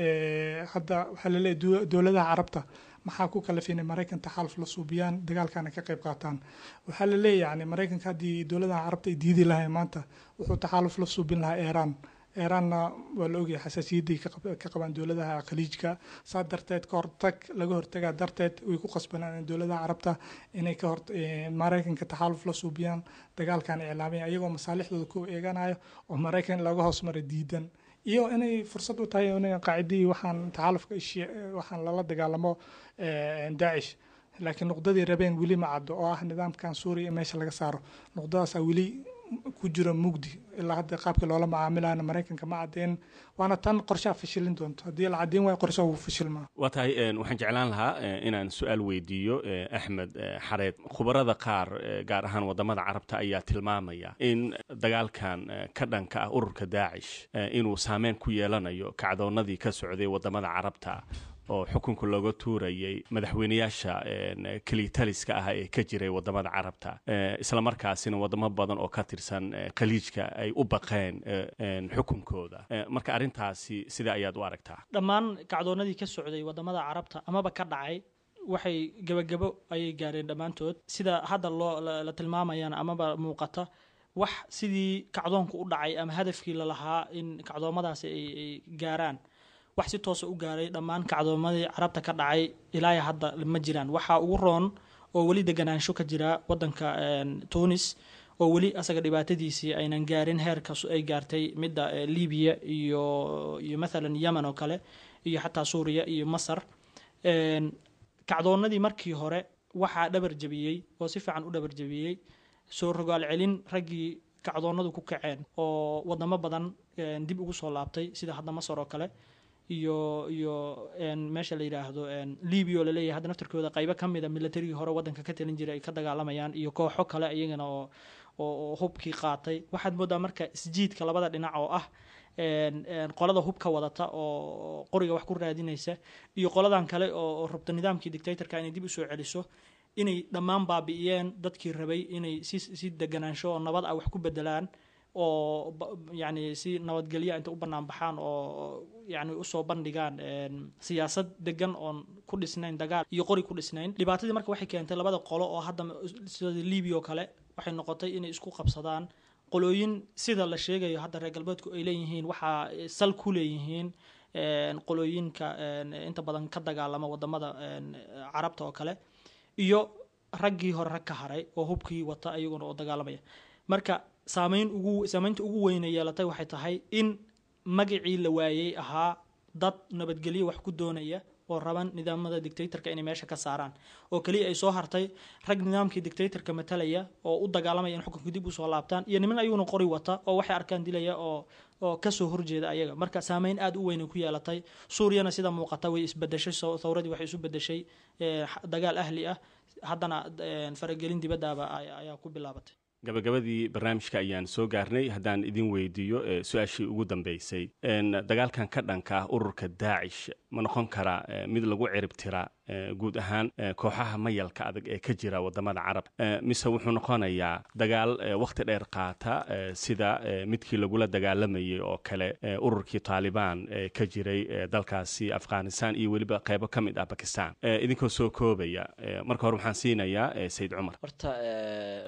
hadda waxaa laleeyahay dowladaha Carabta maxaa ku kalafay inay Maraykan taxaaluf la suubiyaan, dagaalkana ka qayb qaataan? Waxaa la leeyahay yani Maraykanka haddii dowladaha Carabta ay diidi lahayn maanta, wuxuu taxaaluf la suubin lahaa Iiraan. Iiraanna waa la ogyahay xasaasiyadday ka qabaan dowladaha Khaliijka. Saa darteed ka hortag laga hortagaa darteed way ku qasbanaan in dowladaha Carabta inay ka hor Maraykanka taxaaluf la suubiyaan, dagaalkan iclaamaya, iyagoo masaalixdooda ku eeganayo oo Maraykan laga hoos maray diidan. Iyo inay fursad u tahay in qaacidihii waxaan taxaalufka waxaan lala dagaalamo Daacish. Laakiin nuqdadii rabeen weli ma caddo, oo ah nidaamkan Suuriya in meesha laga saaro. Nuqdadaasaa weli ku jiro mugdi ilaa hadda. Qaabkii loola macaamilayana Maraykanka ma cadeen, waana tan qorshaha fashilin doonto. Haddii la caddeyn waayo, qorshaha wuu fashilmaa. Waa tahay. Waxaan jeclaan lahaa inaan su-aal weydiiyo Axmed Xareed. Khubarada qaar, gaar ahaan wadamada Carabta, ayaa tilmaamaya in dagaalkan ka dhanka ah ururka Daacish inuu saameyn ku yeelanayo kacdoonadii ka socday wadamada Carabta oo xukunka looga tuurayay madaxweyneyaasha kelitaliska ah ee ka jiray wadamada Carabta, isla markaasina wadamo badan oo ka tirsan Khaliijka ay u baqeen xukunkooda. Marka arrintaasi sida ayaad u aragtaa? Dhammaan kacdoonadii ka socday wadamada Carabta amaba ka dhacay waxay gebagabo ayay gaareen dhammaantood. Sida hadda loo la tilmaamayana amaba muuqata, wax sidii kacdoonku u dhacay ama hadafkii lalahaa in kacdoomadaasi ay gaaraan, wax si toosa u gaaray dhammaan kacdoomadii Carabta ka dhacay ilaa hadda ma jiraan. Waxaa ugu roon oo weli deganaansho ka jira wadanka Tunis, oo weli asaga dhibaatadiisii aynan gaarin heerka ay gaartay midda Libiya iyo mathalan Yemen oo kale iyo xataa Suuriya iyo Masar. Kacdoonadii markii hore waxaa dhabar jabiyey oo si fiican u dhabar jabiyey soo rogaal celin raggii kacdoonadu ku kaceen oo wadamo badan dib ugu soo laabtay, sida hadda Masar oo kale iyo meesha la yidhaahdo Libya, oo laleeyahay hadda naftarkooda qaybo ka mida militarigii hore waddanka ka talin jiray ay ka dagaalamayaan, iyo kooxo kale iyagana oo hubkii qaatay. Waxaad moodaa marka isjiidka labada dhinac, oo ah qolada hubka wadata oo qoriga wax ku raadinaysa iyo qoladan kale oo rabta nidaamkii dictatorka inay dib usoo celiso, inay dhammaan baabi'iyeen dadkii rabay inay si deganaansho oo nabad ah wax ku bedelaan, oo yacni si nabadgelya inta u bannaan baxaan oo yacni usoo bandhigaan siyaasad degan oon ku dhisnayn dagaal iyo qori ku dhisnayn. Dhibaatadii marka waxay keentay labada qolo oo hadda sida Libiya oo kale waxay noqotay inay isku qabsadaan qolooyin, sida la sheegayo hadda reer galbeedku ay leeyihiin waxaa sal ku leeyihiin qolooyinka inta badan ka dagaalama wadamada Carabta oo kale, iyo raggii hore rag ka haray oo hubkii wata iyaguna oo dagaalamaya. Marka saameynta ugu weyna yeelatay waxay tahay in magacii la waayey ahaa dad nabadgelyo wax ku doonaya oo raban nidaamada dictatorka inay meesha ka saaraan, oo keliya ay soo hartay rag nidaamkii dictatorka matalaya oo u dagaalamaya in xukunka dib usoo laabtaan, iyo niman ayaguna qori wata oo waxay arkaan dilaya oo kasoo horjeeda ayaga. Marka saameyn aada u weyn ay ku yeelatay. Suuriyana sida muuqata way isbedeshay, thawradii waxay isu bedeshay dagaal ahli ah, haddana faragelin dibaddaaba ayaa ku bilaabatay. Gabagabadii barnaamijka ayaan soo gaarnay. Haddaan idin weydiiyo su-aashii ugu dambeysay, dagaalkan ka dhanka ah ururka Daacish ma noqon karaa mid lagu cirib tira guud ahaan kooxaha mayalka adag ee ka jira wadamada Carab, mise wuxuu noqonayaa dagaal wakhti dheer qaata, sida midkii lagula dagaalamayay oo kale ururkii Taalibaan ee ka jiray dalkaasi Afghanistan iyo weliba qeybo ka mid ah Bakistan? Idinkoo soo koobaya, marka hore waxaan siinayaa Sayid Cumar. Horta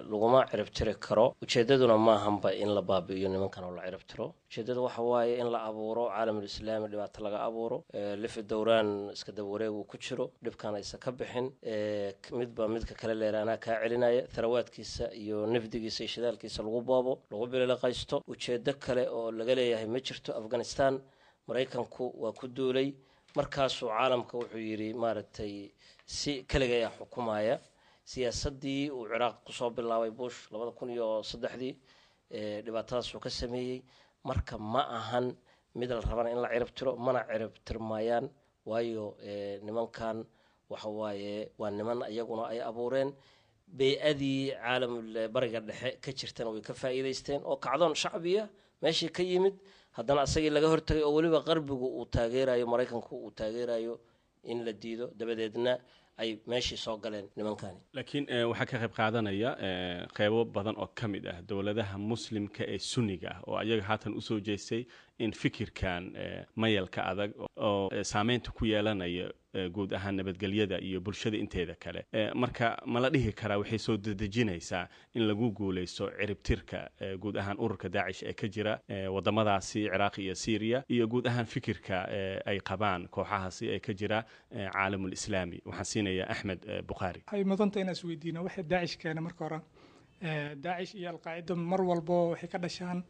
laguma cirib tiri karo, ujeedaduna maahanba in la baabi'iyo nimankan oo la cirib tiro. Ujeedada waxa waaye in la abuuro caalamul islaami dhibaato laga abuuro, lifi dowraan iska daba wareeg uu ku jiro, dhibkan aysan ka bixin, midba midka kale leeraanaa kaa celinaya, tharawaadkiisa iyo nafdigiisa iyo shidaalkiisa lagu boobo, lagu bililiqaysto. Ujeedo kale oo laga leeyahay ma jirto. Afghanistan Maraykanku waa ku duulay, markaasuu caalamka wuxuu yidhi maaragtay si keligaya xukumaya. Siyaasaddii uu Ciraaq kusoo bilaabay Bush 2003-dii dhibaatadaasuu ka sameeyey. Marka ma ahan mid la rabana in la cirib tiro, mana cirib tirmayaan, waayo nimankan waxa waaye waa niman iyaguna ay abuureen bey-adii caalamul Bariga Dhexe ka jirtana way ka faa'iidaysteen, oo kacdoon shacbiya meeshii ka yimid, haddana asagii laga hortagay oo weliba qarbigu uu taageerayo, Maraykanku uu taageerayo in la diido, dabadeedna ay meeshii soo galeen nimankani. Laakiin waxaa ka qayb qaadanaya qeybo badan oo ka mid ah dowladaha Muslimka ee Sunniga ah, oo ayaga haatan usoo jeestay in fikirkan mayalka adag oo saameynta ku yeelanaya guud ahaan nabadgelyada iyo bulshada inteeda kale. Marka ma la dhihi karaa waxay soo dedejinaysaa in lagu guuleysto ciribtirka guud ahaan ururka Daacish ee ka jira wadamadaasi Ciraaq iyo Syriya, iyo guud ahaan fikirka ay qabaan kooxahaasi ee ka jira caalamul islaami? Waxaan siinayaa Axmed Bukhaari. Waxay mudanta inaan isweydiino waxay Daacish keena. Marka hore, Daacish iyo Alqaacida mar walbo waxay ka dhashaan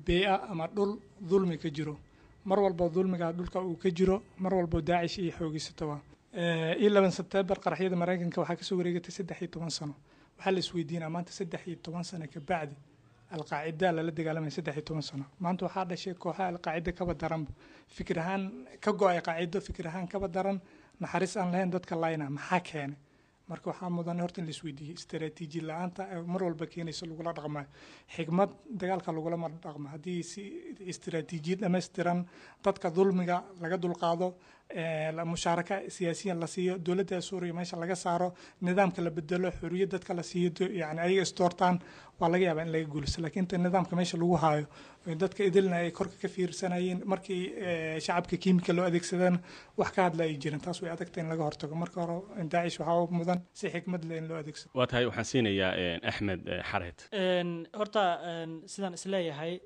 bey-a ama dhul dulmi ka jiro. Mar walbo dulmiga dhulka uu ka jiro, mar walbo Daacish iyo xoogeysatoba. 11 Sebtembar qaraxyada Maraykanka waxaa kasoo wareegatay 13 sano. Waxaa la isweydiinaa maanta, 13 sano kabacdi Alqaacida lala dagaalamaya, 13 sano maanta waxaa dhashay kooxaha Alqaacida kaba daranba, fikir ahaan ka go-ay qaacido, fikir ahaan kaba daran, naxariis aan lahayn, dadka layna. Maxaa keenay? Marka waxaa mudan horta in la isweydiiyey istaraatiiji la-aanta mar walba keenaysa lagula dhaqmayo xigmad dagaalka lagulama dhaqmo. Haddii si istaraatiijiyad dhammaystiran dadka dulmiga laga dulqaado, mushaaraka siyaasiyan la siiyo, dowladda Suuriya meesha laga saaro, nidaamka la bedelo, xorriyad dadka la siiyo, yani ayaga isdoortaan, waa laga yaabaa in laga guulaysto. Laakiin inta nidaamka meesha lagu haayo, dadka idilna ay korka ka fiirsanayeen, markii shacabka kiimika loo adeegsadana wax ka hadla ay jirin, taas way adagta in laga hortago. Marka hore Daacish waxaa mudan si xikmad leh in loo adeegsado. Waa tahay, waxaan siinayaa Axmed Xareed. Horta sidaan isleeyahay,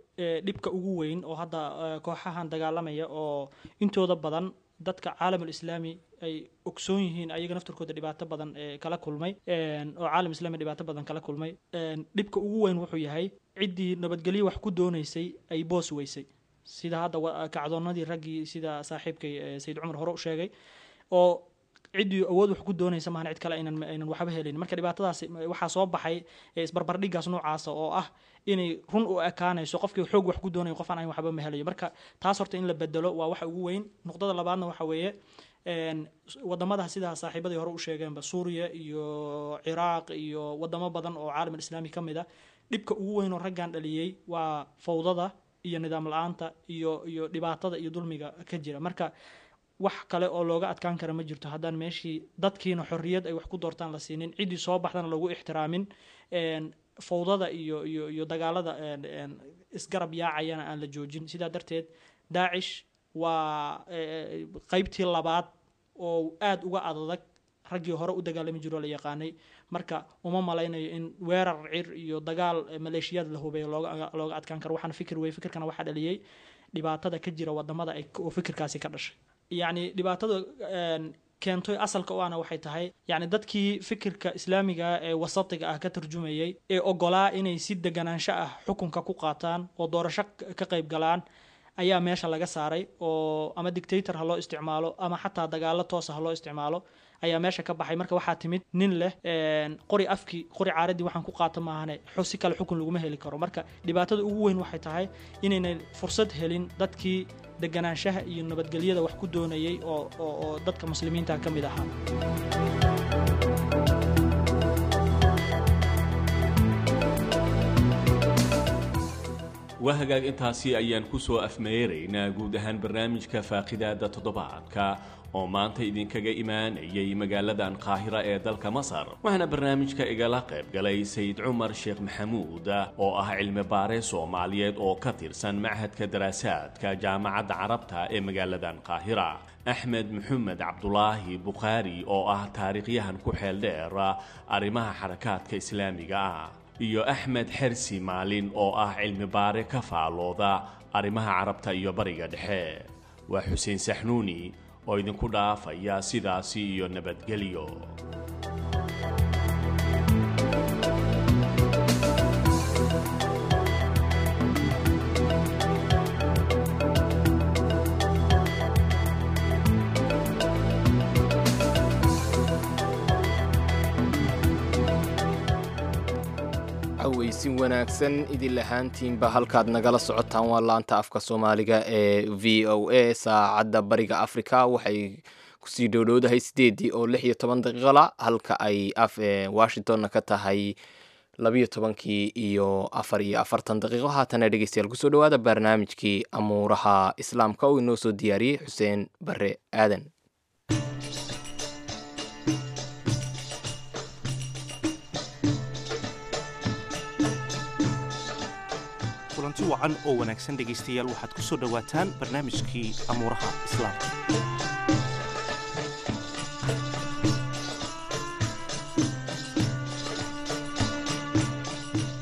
dhibka ugu weyn oo hadda kooxahan dagaalamaya oo intooda badan dadka caalamul islaami ay ogsoon yihiin, ayaga naftarkooda dhibaato badan kala kulmay, oo caalam islaami dhibaato badan kala kulmay, dhibka ugu weyn wuxuu yahay ciddii nabadgelyo wax ku doonaysay ay boos weysay, sida hadda kacdoonadii raggii, sida saaxiibkay Sayid Cumar hore u sheegay, oo ciddii awood wax ku doonaysa maahan cid kale aynan waxba helin. Marka dhibaatadaasi waxaa soo baxay isbarbardhigaas noocaasa oo ah inay run u ekaanayso qofkii xoog wax ku doonayo qof aan ahayn waxba ma helayo. Marka taas horta in la bedelo waa waxa ugu weyn. Nuqdada labaadna waxa weeye wadamada sidaa saaxiibadii hore u sheegeenba, Suuriya iyo Ciraaq iyo wadamo badan oo caalam islaami ka mid a, dhibka ugu weyn oo raggan dhaliyey waa fawdada iyo nidaam la-aanta iyo dhibaatada iyo dulmiga ka jira. Marka wax kale oo looga adkaan kara ma jirto haddaan meeshii dadkiina xorriyad ay wax ku doortaan la siinin, ciddii soo baxdana lagu ixtiraamin, fawdada iyo dagaalada isgarab yaacayana aan la joojin. Sidaa darteed Daacish waa qeybtii labaad oo aada uga adadag raggii hore u dagaalami jiroo la yaqaanay. Marka uma malaynayo in weerar cir iyo dagaal maleeshiyaad la hubeeyo looga adkaan karo. Waxaana fikir wey, fikirkana waxaa dhaliyey dhibaatada ka jira wadamada oo fikirkaasi ka dhashay. Yacni dhibaatada keentay asalka u ahna waxay tahay, yacni dadkii fikirka islaamiga ee wasatiga ah ka tarjumayay ee ogolaa inay si deganaansho ah xukunka ku qaataan oo doorasho ka qayb galaan ayaa meesha laga saaray, oo ama dictator ha loo isticmaalo ama xataa dagaalo toosa ha loo isticmaalo ayaa meesha ka baxay. Marka waxaa timid nin leh qori afkii qori caaradii waxaan ku qaata maahane si kale xukun laguma heli karo. Marka dhibaatada ugu weyn waxay tahay inaynay fursad helin dadkii deganaanshaha iyo nabadgelyada wax ku doonayay oo dadka muslimiinta ka mid ahaa. Waa hagaag, intaasi ayaan ku soo afmeeraynaa guud ahaan barnaamijka faaqidaada toddobaadka oo maanta idinkaga imaanayay magaaladan Qaahira ee dalka Masar. Waxaana barnaamijka igala qayb galay Sayid Cumar Sheekh Maxamuud oo ah cilmi baare Soomaaliyeed oo ka tirsan Machadka Daraasaadka Jaamacadda Carabta ee magaaladan Qaahira, Axmed Maxamed Cabdulaahi Bukhaari oo ah taariikhyahan ku xeel dheer arrimaha xarakaadka islaamiga ah, iyo Axmed Xersi Maalin oo ah cilmi baare ka faalooda arrimaha Carabta iyo Bariga Dhexe. Waa Xuseen Saxnuuni oo idinku dhaafaya sidaasi iyo nabadgelyo. Aweysin wanaagsan idin lahaantiinba, halkaad nagala socotaan waa laanta afka Soomaaliga ee VOA. Saacadda Bariga Africa waxay kusii dhowdhowdahay 8:16 la, halka ay Washingtonna ka tahay 12:44. Haatana dhegeystayaal, kusoo dhawaada barnaamijkii amuuraha Islaamka oo inoo soo diyaariyey Xuseen Bare Aadan. Kulanti wacan oo wanaagsan dhegaystayaal, waxaad ku soo dhowaataan barnaamijkii amuuraha Islaamka.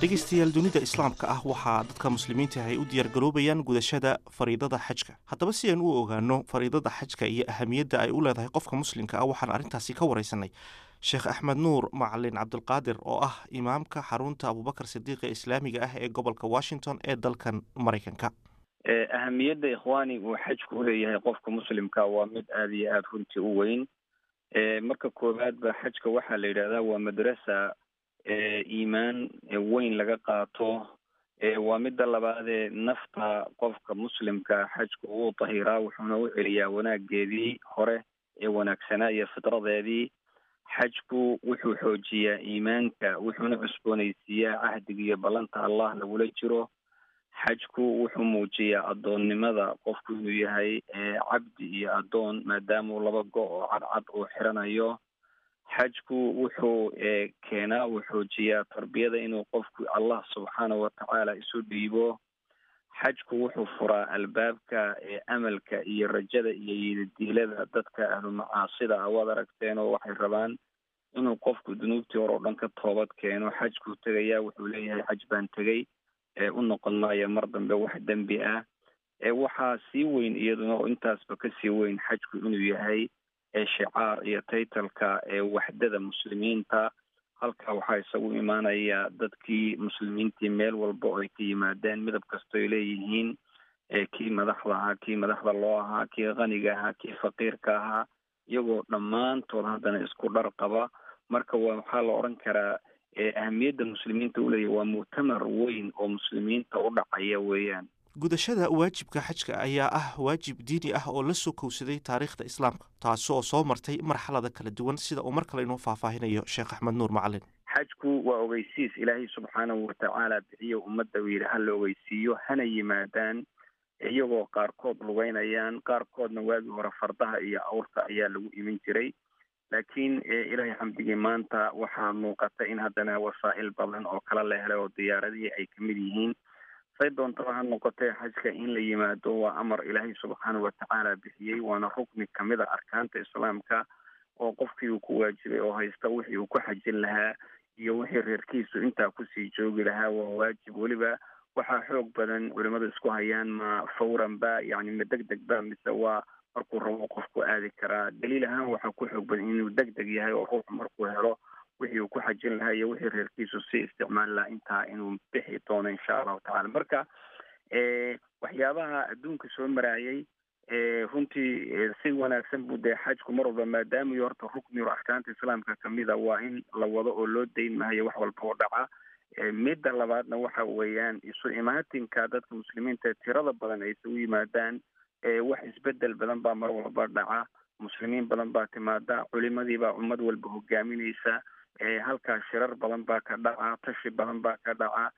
Dhegaystayaal, dunida Islaamka ah waxaa dadka muslimiinta ay u diyaargaroobayaan gudashada fariidada xajka. Haddaba si aynu u ogaano fariidada xajka iyo ahamiyadda ay u leedahay qofka muslimka ah, waxaan arrintaasi ka waraysanay Sheekh Axmed Nuur Macalin Cabdulqaadir oo ah imaamka xarunta Abubakar Sidiiq ee islaamiga ah ee gobolka Washington ee dalkan Maraykanka. Ahamiyadda, ikhwaani, uu xajku uleeyahay qofka muslimka waa mid aada iyo aada runtii u weyn. Marka koowaadba, xajka waxaa la yidhahdaa waa madrasa iimaan weyn laga qaato. Waa midda labaadee, nafta qofka muslimka xajku wuu tahiraa, wuxuuna u celiyaa wanaageedii hore ee wanaagsanaa iyo fitradeedii. Xajku wuxuu xoojiyaa iimaanka, wuxuuna cusboonaysiiyaa cahdiga iyo ballanta Allah lagula jiro. Xajku wuxuu muujiyaa addoonnimada qofku inuu yahay cabdi iyo addoon, maadaamuu laba go' oo cadcad uu xiranayo. Xajku wuxuu keenaa, uu xoojiyaa tarbiyada, inuu qofku Allah subxaanahu watacaala isu dhiibo. Xajku wuxuu furaa albaabka amalka iyo rajada iyo yididiilada dadka ahlu macaasida ah. Waad aragteen oo waxay rabaan inuu qofku dunuubtii hore oo dhan ka toobad keeno. Xajkuu tegayaa, wuxuu leeyahay xaj baan tegey, u noqon maayo mar dambe wax dembi ah. Waxaa sii weyn iyaduna oo intaasba kasii weyn xajku inuu yahay shicaar iyo taytalka waxdada muslimiinta. Halkaa waxaa isagu imaanaya dadkii muslimiintii meel walba oo ay ka yimaadeen, midab kasta ay leeyihiin, kii madaxda ahaa, kii madaxda loo ahaa, kii qaniga ahaa, kii faqiirka ahaa, iyagoo dhammaantood haddana isku dhar qaba. Marka waxaa la odhan karaa ahamiyadda muslimiinta uleeyahy waa muctamar weyn oo muslimiinta u dhacaya weeyaan. Gudashada waajibka xajka ayaa ah waajib diini ah oo la soo kowsaday taariikhda islaamka, taasi oo soo martay marxalada kala duwan, sida uu mar kale inoo faahfaahinayo Sheekh Axmed Nuur Macalin. Xajku waa ogeysiis Ilaahay subxaanahu watacaala bixiyo ummadda uu yidhi hala ogeysiiyo, hana yimaadaan, iyagoo qaarkood lugeynayaan, qaarkoodna waagii hore fardaha iyo awrta ayaa lagu iman jiray. Laakiin Ilaahay xamdigii, maanta waxaa muuqata in haddana wasaa'il badan oo kala la helay oo diyaaradihii ay kamid yihiin. Say doontaba ha noqotee, xajka in la yimaado waa amar Ilaahay subxaanahu watacaala bixiyey, waana rukni kamid a arkaanta islaamka oo qofkii uu ku waajibay oo haysta wixii uu ku xajin lahaa iyo wixii reerkiisu intaa kusii joogi lahaa, waa waajib. Weliba waxaa xoog badan culimadu isku hayaan, ma fawran ba, yani ma deg deg ba, mise waa markuu rabo qofku aadi karaa? Daliil ahaan waxaa ku xoog badan inuu deg deg yahay, oo ruuxu markuu helo wixii uu ku xajin lahaa iyo wixii reerkiisu sii isticmaali lahaa intaa inuu bixi doono, insha Allahu tacala. Marka waxyaabaha adduunka soo maraayay runtii si wanaagsan buu dee xajku mar walba, maadaama iyo horta rukni o arkaanta islaamka kamida, waa in la wado oo loo dayn mahayo wax walba oo dhaca. Midda labaadna waxa weeyaan isu imaatinka dadka muslimiinta tirada badan ay isugu yimaadaan. Wax isbedel badan baa mar walba dhaca, muslimiin badan baa timaada, culimadii baa ummad walba hogaaminaysa. Halkaa shirar badan baa ka dhaca, tashi badan baa ka dhaca,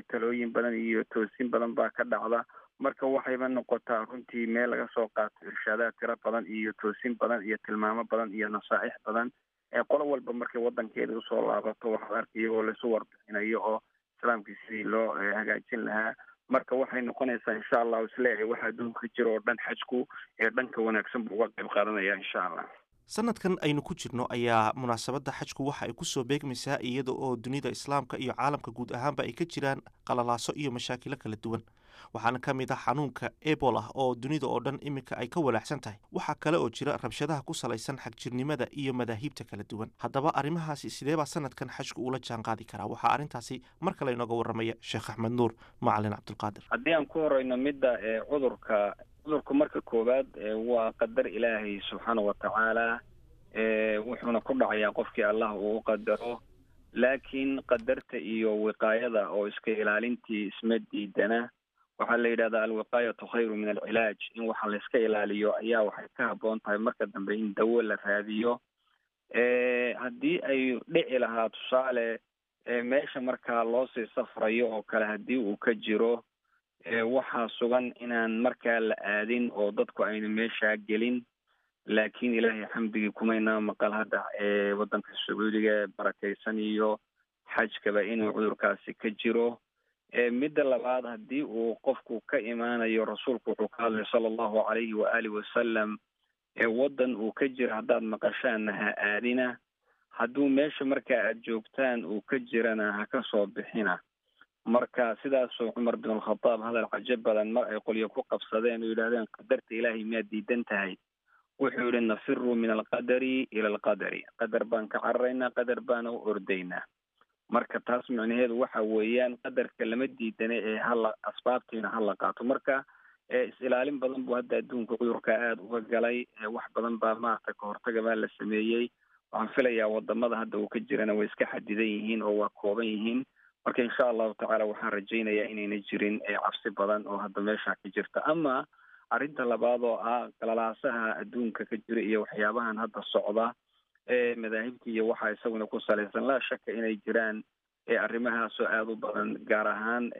talooyin badan iyo toosin badan baa ka dhacda. Marka waxayba noqotaa runtii meel laga soo qaato irshaadaad tiro badan iyo toosin badan iyo tilmaamo badan iyo nasaaix badan. Qolo walba markay wadankeeda usoo laabato, waxaad arkay iyagoo laisu warbixinayo oo islaamkii sidii loo hagaajin lahaa. Marka waxay noqonaysaa, insha Allahu, isleeyahay waxa adduunka jiro oo dhan xajku ee dhanka wanaagsan buu uga qayb qaadanaya, insha Allah. Sanadkan aynu ku jirno ayaa munaasabadda xajku waxa ay kusoo beegmaysaa iyada oo dunida islaamka iyo caalamka guud ahaanba ay ka jiraan qalalaaso iyo mashaakilo kala duwan. Waxaana ka mid ah xanuunka Ebola oo dunida oo dhan iminka ay ka walaacsan tahay. Waxaa kale oo jira rabshadaha ku salaysan xagjirnimada iyo madaahiibta kala duwan. Haddaba arrimahaasi sidee baa sanadkan xajku ula jaanqaadi karaa? Waxaa arrintaasi mar kale inooga warramaya Sheekh Axmed Nuur Macalin Cabdulqaadir. Haddii aan ku horeyno midda cudurka, cudurku marka koowaad waa qadar Ilaahay subxaana watacaala, wuxuuna ku dhacayaa qofkii Allah uu u qadaro. Laakiin qadarta iyo wiqaayada oo iska ilaalintii isma diidana. Waxaa la yidhahdaa alwiqaayatu khayru min alcilaaj. In waxa la iska ilaaliyo ayaa waxay ka habboon tahay marka dambe in dawo la raadiyo. Haddii ay dhici lahaa, tusaale, meesha markaa loosii safrayo oo kale haddii uu ka jiro, waxaa sugan inaan markaa la aadin oo dadku ayna meeshaa gelin. Laakiin Ilaahay xamdigii, kumaynaa maqal hadda waddanka Sacuudiga barakaysan iyo xajkaba inuu cudurkaasi ka jiro. Midda labaad, haddii uu qofku ka imaanayo, rasuulku wuxuu ka hadlay sala Allahu calayhi waaalih wasalam, waddan uu ka jiro haddaad maqashaanna ha aadina, hadduu meesha markaa aad joogtaan uu ka jirana ha ka soo bixina. Marka sidaasuu Cumar bin Alkhadaab hadal cajo badan mar ay qolyo ku qabsadeen oo yidhahdeen, qadarta Ilaahay miyaad diidan tahay? Wuxuu yihi nafiru min alqadari ila alqadari, qadar baan ka cararaynaa, qadar baana u ordaynaa. Marka taas micnaheedu waxa weeyaan qadarka lama diidana ee hala asbaabtiina hala qaato. Marka is-ilaalin badan buu hadda adduunka cudurka aada uga galay, wax badan baa maaragtay kahortaga baa la sameeyey. Waxaan filayaa wadamada hadda uu ka jirana way iska xadidan yihiin oo waa kooban yihiin. Marka insha allahu tacaala waxaan rajaynayaa inayna jirin cabsi badan oo hadda meesha ka jirta. Ama arrinta labaad oo ah qalalaasaha adduunka ka jira iyo waxyaabahan hadda socda ee madaahibta iyo waxaa isaguna ku salaysan, laa shaka inay jiraan arrimahaasoo aada u badan, gaar ahaan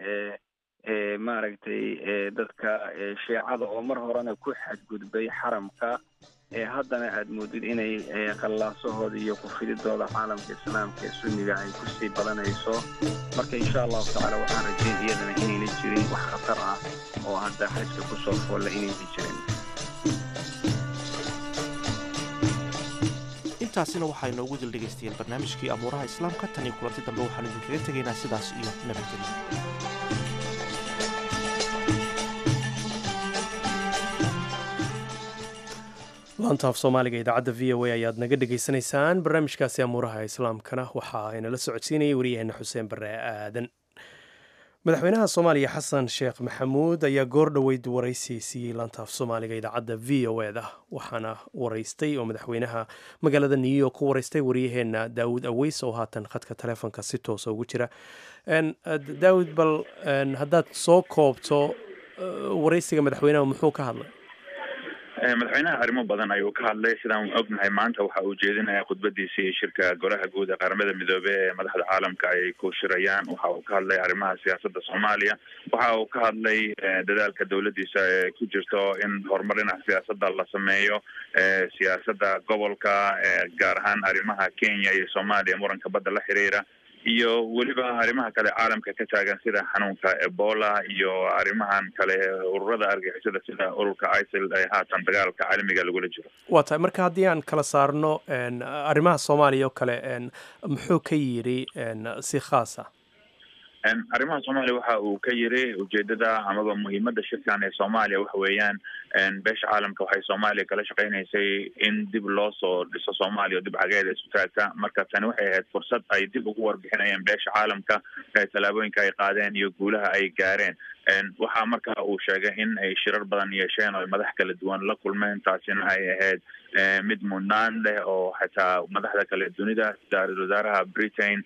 maaragtay dadka shiicada oo mar horena ku xadgudbay xaramka, haddana aada moodid inay qallaasahooda iyo kufididooda caalamka islaamka ee sunniga ay kusii badanayso. Marka insha allahu tacaala waxaan rajayn iyadana inayna jirin wax khatar ah oo hadda xajka kusoo foolla inayna jirin. Intaasina waxaa inoogu dil dhegaystayaal barnaamijkii amuuraha islaamka. Tan iyo kulanti dambe waxaanu idinkaga tegaynaa sidaas iyo nabadgelyo. Laanta af Soomaaliga idaacadda VOA ayaad naga dhegaysanaysaan. Barnaamijkaasi amuuraha islaamkana waxaa inala socodsiinayay waryaheena Xuseen Bare Aadan. Madaxweynaha Soomaaliya Xasan Sheekh Maxamuud ayaa goor dhoweyd waraysi siiyey laanta af Soomaaliga idaacadda VOA da, waxaana waraystay oo madaxweynaha magaalada New York ku waraystay waryaheena Daawud Aweys oo haatan khadka taleefonka si toosa ugu jira. Daawud, bal haddaad soo koobto waraysiga madaxweynaha, muxuu ka hadlay? Madaxweynaha arrimo badan ayuu ka hadlay. Sidaan ognahay, maanta waxa uu jeedinayaa khudbadiisii shirka Golaha Guud ee Qaramada Midoobey ee madaxda caalamka ay ku shirayaan. Waxa uu ka hadlay arrimaha siyaasadda Soomaaliya. Waxa uu ka hadlay dadaalka dowladdiisa ee ku jirto in horumar dhinaca siyaasadda la sameeyo, siyaasadda gobolka, gaar ahaan arrimaha Kenya iyo Soomaaliya, muranka badda la xiriira, iyo weliba arrimaha kale caalamka ka taagan sida xanuunka Ebola iyo arrimahan kale ururada argixisada sida ururka ISIL ee haatan dagaalka caalamiga lagula jiro. Waa tahay. Marka haddii aan kala saarno arrimaha Soomaaliya oo kale, muxuu ka yidhi si khaasa? Arrimaha Soomaaliya waxa uu ka yiri ujeedada amaba muhiimadda shirkan ee Soomaaliya waxa weeyaan beesha caalamka waxay Soomaaliya kala shaqeynaysay in dib loo soo dhiso Soomaaliya oo dib cageeda isu taagta. Marka tani waxay ahayd fursad ay dib ugu warbixinayeen beesha caalamka tallaabooyinka ay qaadeen iyo guulaha ay gaareen. Waxaa marka uu sheegay in ay shirar badan yeesheen oo ay madax kala duwan la kulmeen, taasina ay ahayd mid mudnaan leh oo xataa madaxda kale dunida sida ra-iisul wasaaraha Britain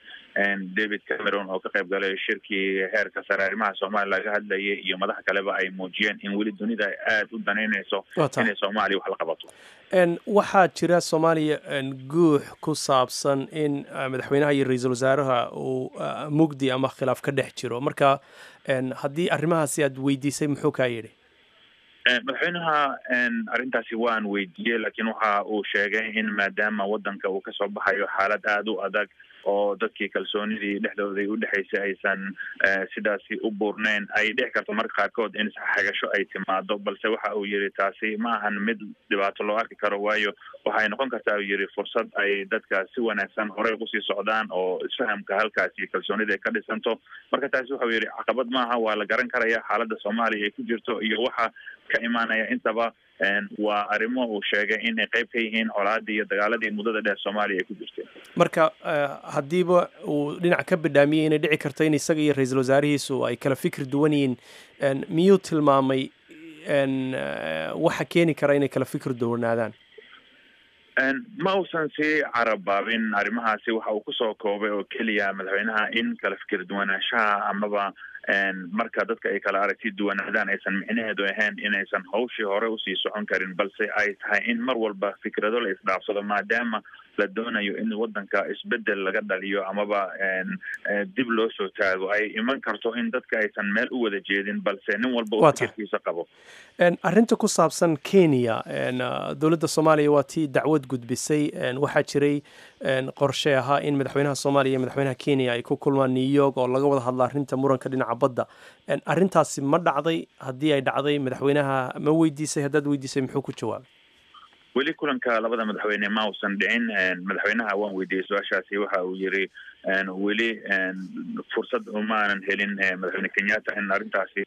David Cameron oo ka qayb galay shirkii heerka sare arrimaha Soomaaliya laga hadlayay iyo madax kaleba ay muujiyeen in weli dunida ay aada u danaynayso inay Soomaaliya wax la qabato. Waxaa jira Soomaaliya guux ku saabsan in madaxweynaha iyo ra-iisul wasaaraha uu mugdi ama khilaaf ka dhex jiro. Marka haddii arrimahaasi aad weydiisay, muxuu kaa yidhi? Madaxweynaha arrintaasi waan weydiiyey, laakiin waxa uu sheegay in maadaama waddanka uu kasoo baxayo xaalad aada u adag oo dadkii kalsoonidii dhexdooday udhexaysay aysan sidaasi u buurneyn, ay dhici karto marka qaarkood in isxagasho ay timaado. Balse waxa uu yidhi taasi ma ahan mid dhibaato loo arki karo, waayo waxay noqon kartaa, uu yidhi, fursad ay dadka si wanaagsan horey kusii socdaan oo isfahamka halkaasi kalsoonida ay ka dhisanto. Marka taasi waxau yidhi caqabad maaha, waa la garan karaya xaaladda Soomaaliya ay ku jirto iyo waxa ka imaanaya intaba. Waa arrimo uu sheegay inay qayb ka yihiin colaadii iyo dagaaladii muddada dheer Soomaaliya ay ku jirtay. Marka haddiiba uu dhinac ka bidhaamiyey inay dhici karto in isaga iyo ra-iisul wasaarihiisu ay kala fikir duwan yihiin, miyuu tilmaamay waxa keeni kara inay kala fikir duwanaadaan? Ma uusan sii carabaabin arrimahaasi. Waxa uu kusoo koobay oo keliya madaxweynaha in kala fikir duwanaanshaha amaba marka dadka ay kala aragti duwanaadaan aysan micnaheedu ahayn inaysan hawshii hore usii socon karin, balse ay tahay in mar walba fikrado la isdhaafsado maadaama la doonayo in waddanka isbedel laga dhaliyo amaba dib loo soo taago. Ay iman karto in dadka aysan meel u wada jeedin, balse nin walba uu fikirkiisa qabo. Arrinta ku saabsan Kenya, dowladda Soomaaliya waa tii dacwad gudbisay. Waxaa jiray qorshe ahaa in madaxweynaha Soomaaliya iyo madaxweynaha Kenya ay ku kulmaan New York oo laga wada hadla arrinta muranka dhinaca badda. Arrintaasi ma dhacday? Haddii ay dhacday, madaxweynaha ma weydiisay? Haddaad weydiisay, muxuu ku jawaabay? Weli kulanka labada madaxweyne ma uusan dhicin. Madaxweynaha waan weydiiyey su-aashaasi. Waxa uu yiri weli fursad umaanan helin madaxweyne Kenyatta in arrintaasi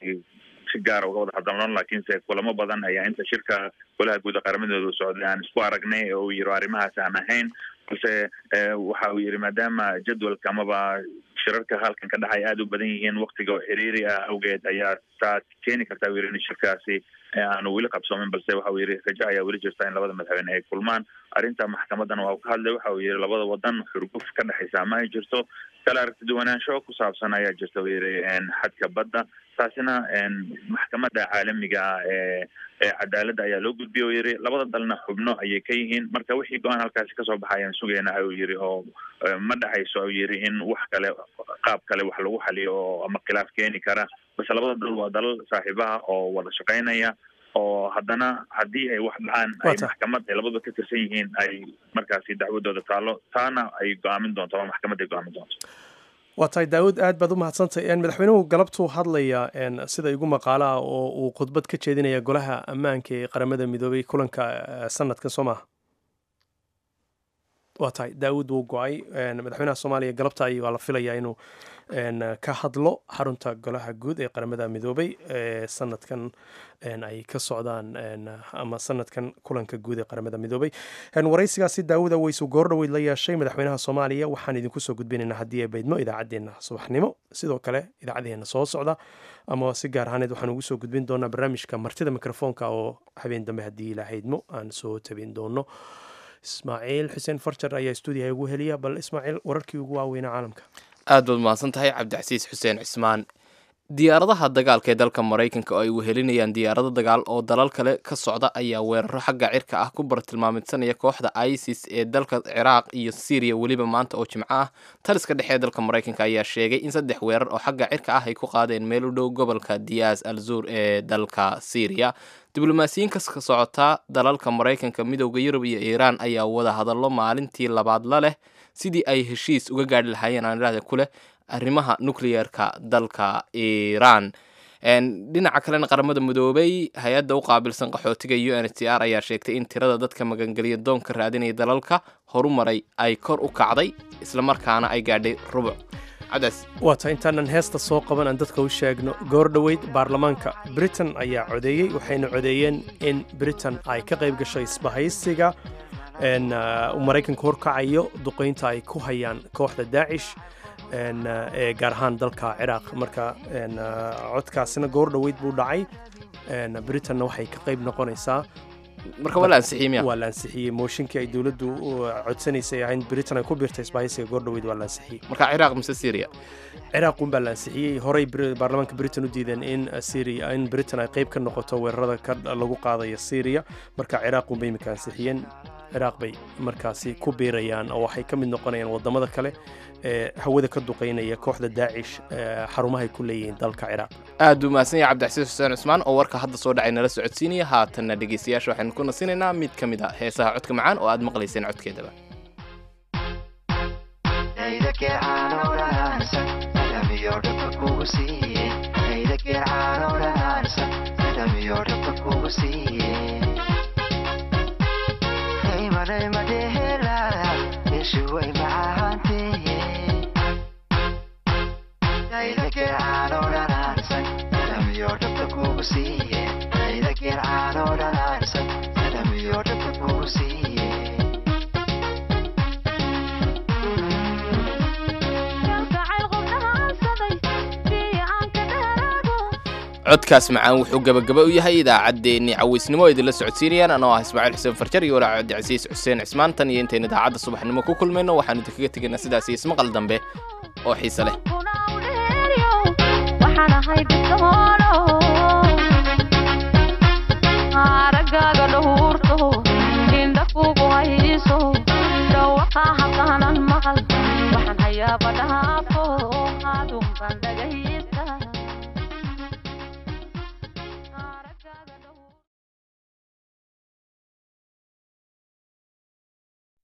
si gaara uga wada hadalno, laakiinse kulamo badan ayaa inta shirka golaha guud ee qaramadooda socday aan isku aragnay oo uu yiri arrimahaas aan ahayn. Balse waxa uu yiri maadaama jadwalka amaba shirarka halkan ka dhacay aada u badan yihiin, waktiga oo xiriiri ah awgeed ayaa taas keeni karta uu yiri in shirkaasi aanu weli qabsoomin. Balse waxa uu yiri rajo ayaa weli jirta in labada madaxweyne ay kulmaan. Arrinta maxkamaddana waa uu ka hadlay. Waxa uu yiri labada wadan xurguf ka dhexaysa ma ay jirto, kala aragti duwanaansho ku saabsan ayaa jirta uu yiri xadka badda, taasina maxkamadda caalamiga ah ee cadaaladda ayaa loo gudbiyey uu yiri, labada dalna xubno ayay ka yihiin. Marka wixii go-aan halkaasi kasoo baxay ayaan sugaynaa uu yiri, oo ma dhexayso uu yiri in wax kale qaab kale wax lagu xaliyo oo ama khilaaf keeni kara. Balse labada dal waa dalal saaxiibaha oo wada shaqaynaya, oo haddana haddii ay wax dhacaan ay maxkamad ay labadaba ka tirsan yihiin ay markaasi dacwadooda taalo, taana ay go-aamin doonto ama maxkamadda ay go-aamin doonto. Waa tahay Daawud, aad baad u mahadsantahay. Madaxweynuhu galabtuu hadlaya sida igu maqaalaha oo uu khudbad ka jeedinaya golaha ammaanka ee Qaramada Midoobay kulanka sanadkan, soo maaha? Waa tahay Daawud, wuu go-ay. Madaxweynaha Soomaaliya galabta ay waa la filayaa inuu ka hadlo xarunta golaha guud ee Qaramada Midoobay ee sanadkan ay ka socdaan ama sanadkan kulanka guud ee Qaramada Midoobay. Waraysigaasi Daawud Aweysu goordhoweyd la yeeshay madaxweynaha Soomaaliya waxaan idinku soo gudbinaynaa haddii ay baydmo idaacaddeenna subaxnimo, sidoo kale idaacaddeenna soo socda, ama si gaar ahaaneed waxaan ugu soo gudbin doonaa barnaamijka martida mikrofoonka oo habeen dambe haddii Ilaahaydmo aan soo tabin doono. Ismaaciil Xuseen Farjar ayaa stuudiyaha ugu heliya. Bal Ismaaciil, wararkii ugu waaweynaa caalamka. Aad baad mahadsan tahay Cabdicasiis Xuseen Cismaan. Diyaaradaha dagaalka ee dalka Maraykanka oo ay wehelinayaan diyaarado dagaal oo dalal kale ka socda ayaa weeraro xagga cirka ah ku bartilmaameedsanaya kooxda ISIS ee dalka Ciraaq iyo Siiriya weliba maanta oo Jimco ah. Taliska dhexe ee dalka Maraykanka ayaa sheegay in 3 weerar oo xagga cirka ah ay ku qaadeen meel u dhow gobolka Diyaas al Zuur ee dalka Siiriya. Diblomaasiyiin ka socota dalalka Maraykanka, Midowda Yurub iyo Iiraan ayaa wada hadallo maalintii labaad la leh sidii ay heshiis uga gaadhi lahaayeen aan idhahda ku leh arrimaha nukliyeerka dalka Iiraan. Dhinaca kalena, Qaramada Midoobay hay-adda u qaabilsan qaxootiga UNHCR ayaa sheegtay in tirada dadka magangeliya doonka raadinaya dalalka horumaray ay kor u kacday, islamarkaana ay gaadhay rubuc. Cabdaas, waa tahay intaanan heesta soo qaban aan dadka u sheegno goor dhoweyd baarlamaanka Britain ayaa codeeyey, waxayna codeeyeen in Britain ay ka qayb gashay isbahaysiga uu Maraykanku horkacayo duqeynta ay ku hayaan kooxda Daacish ee gaar ahaan dalka Ciraaq. Marka codkaasina goor dhoweyd buu dhacay, Britainna waxay ka qayb noqonaysaa. Marka waa la ansixiyey miya? Waa la ansixiyey mooshinkii ay dowladdu codsanaysay ahayn Britain ay ku biirtay isbahaysiga, goor dhoweyd waa la ansixiyey. Marka Ciraaq mise Syria? Ciraaq un baa la ansixiyey. Horey baarlamaanka Britain u diideen in Syria, in Britain ay qayb ka noqoto weerarada ka lagu qaadayo Syria. Marka Ciraaq un bay imika ansixiyeen, Ciraaq bay markaasi ku biirayaan oo waxay ka mid noqonayaan wadamada kale ee hawada ka duqeynaya kooxda Daacish xarumahay ku leeyihiin dalka Ciraaq. Aad buu mahadsan yahay Cabdicasiis Xuseen Cusmaan oo warka hadda soo dhacay nala socodsiinaya. Haatanna dhegeystayaasha waxaynu ku nasinaynaa mid ka mid a heesaha codka macaan oo aad maqlayseen codkeedaba. Codkaas macaan wuxuu gabagaba u yahay idaacaddeenii cawaysnimo oo idinla socodsiinayaan anoo ah Ismaaciil Xuseen Farjar iyo walaac Cabdicasiis Xuseen Cismaan. Tan iyo intaynu idaacadda subaxnimo ku kulmayno waxaanu idinkaga tegaynaa sidaas iyo ismaqal dambe oo xiise leh. Aragaaga dhowrto, indha kugu hayso, dhawaqa haqaanan maqal, waxaan hayaaba dhaafo adunban dhagaysta.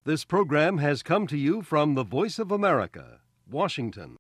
This program has come to you from the Voice of America, Washington.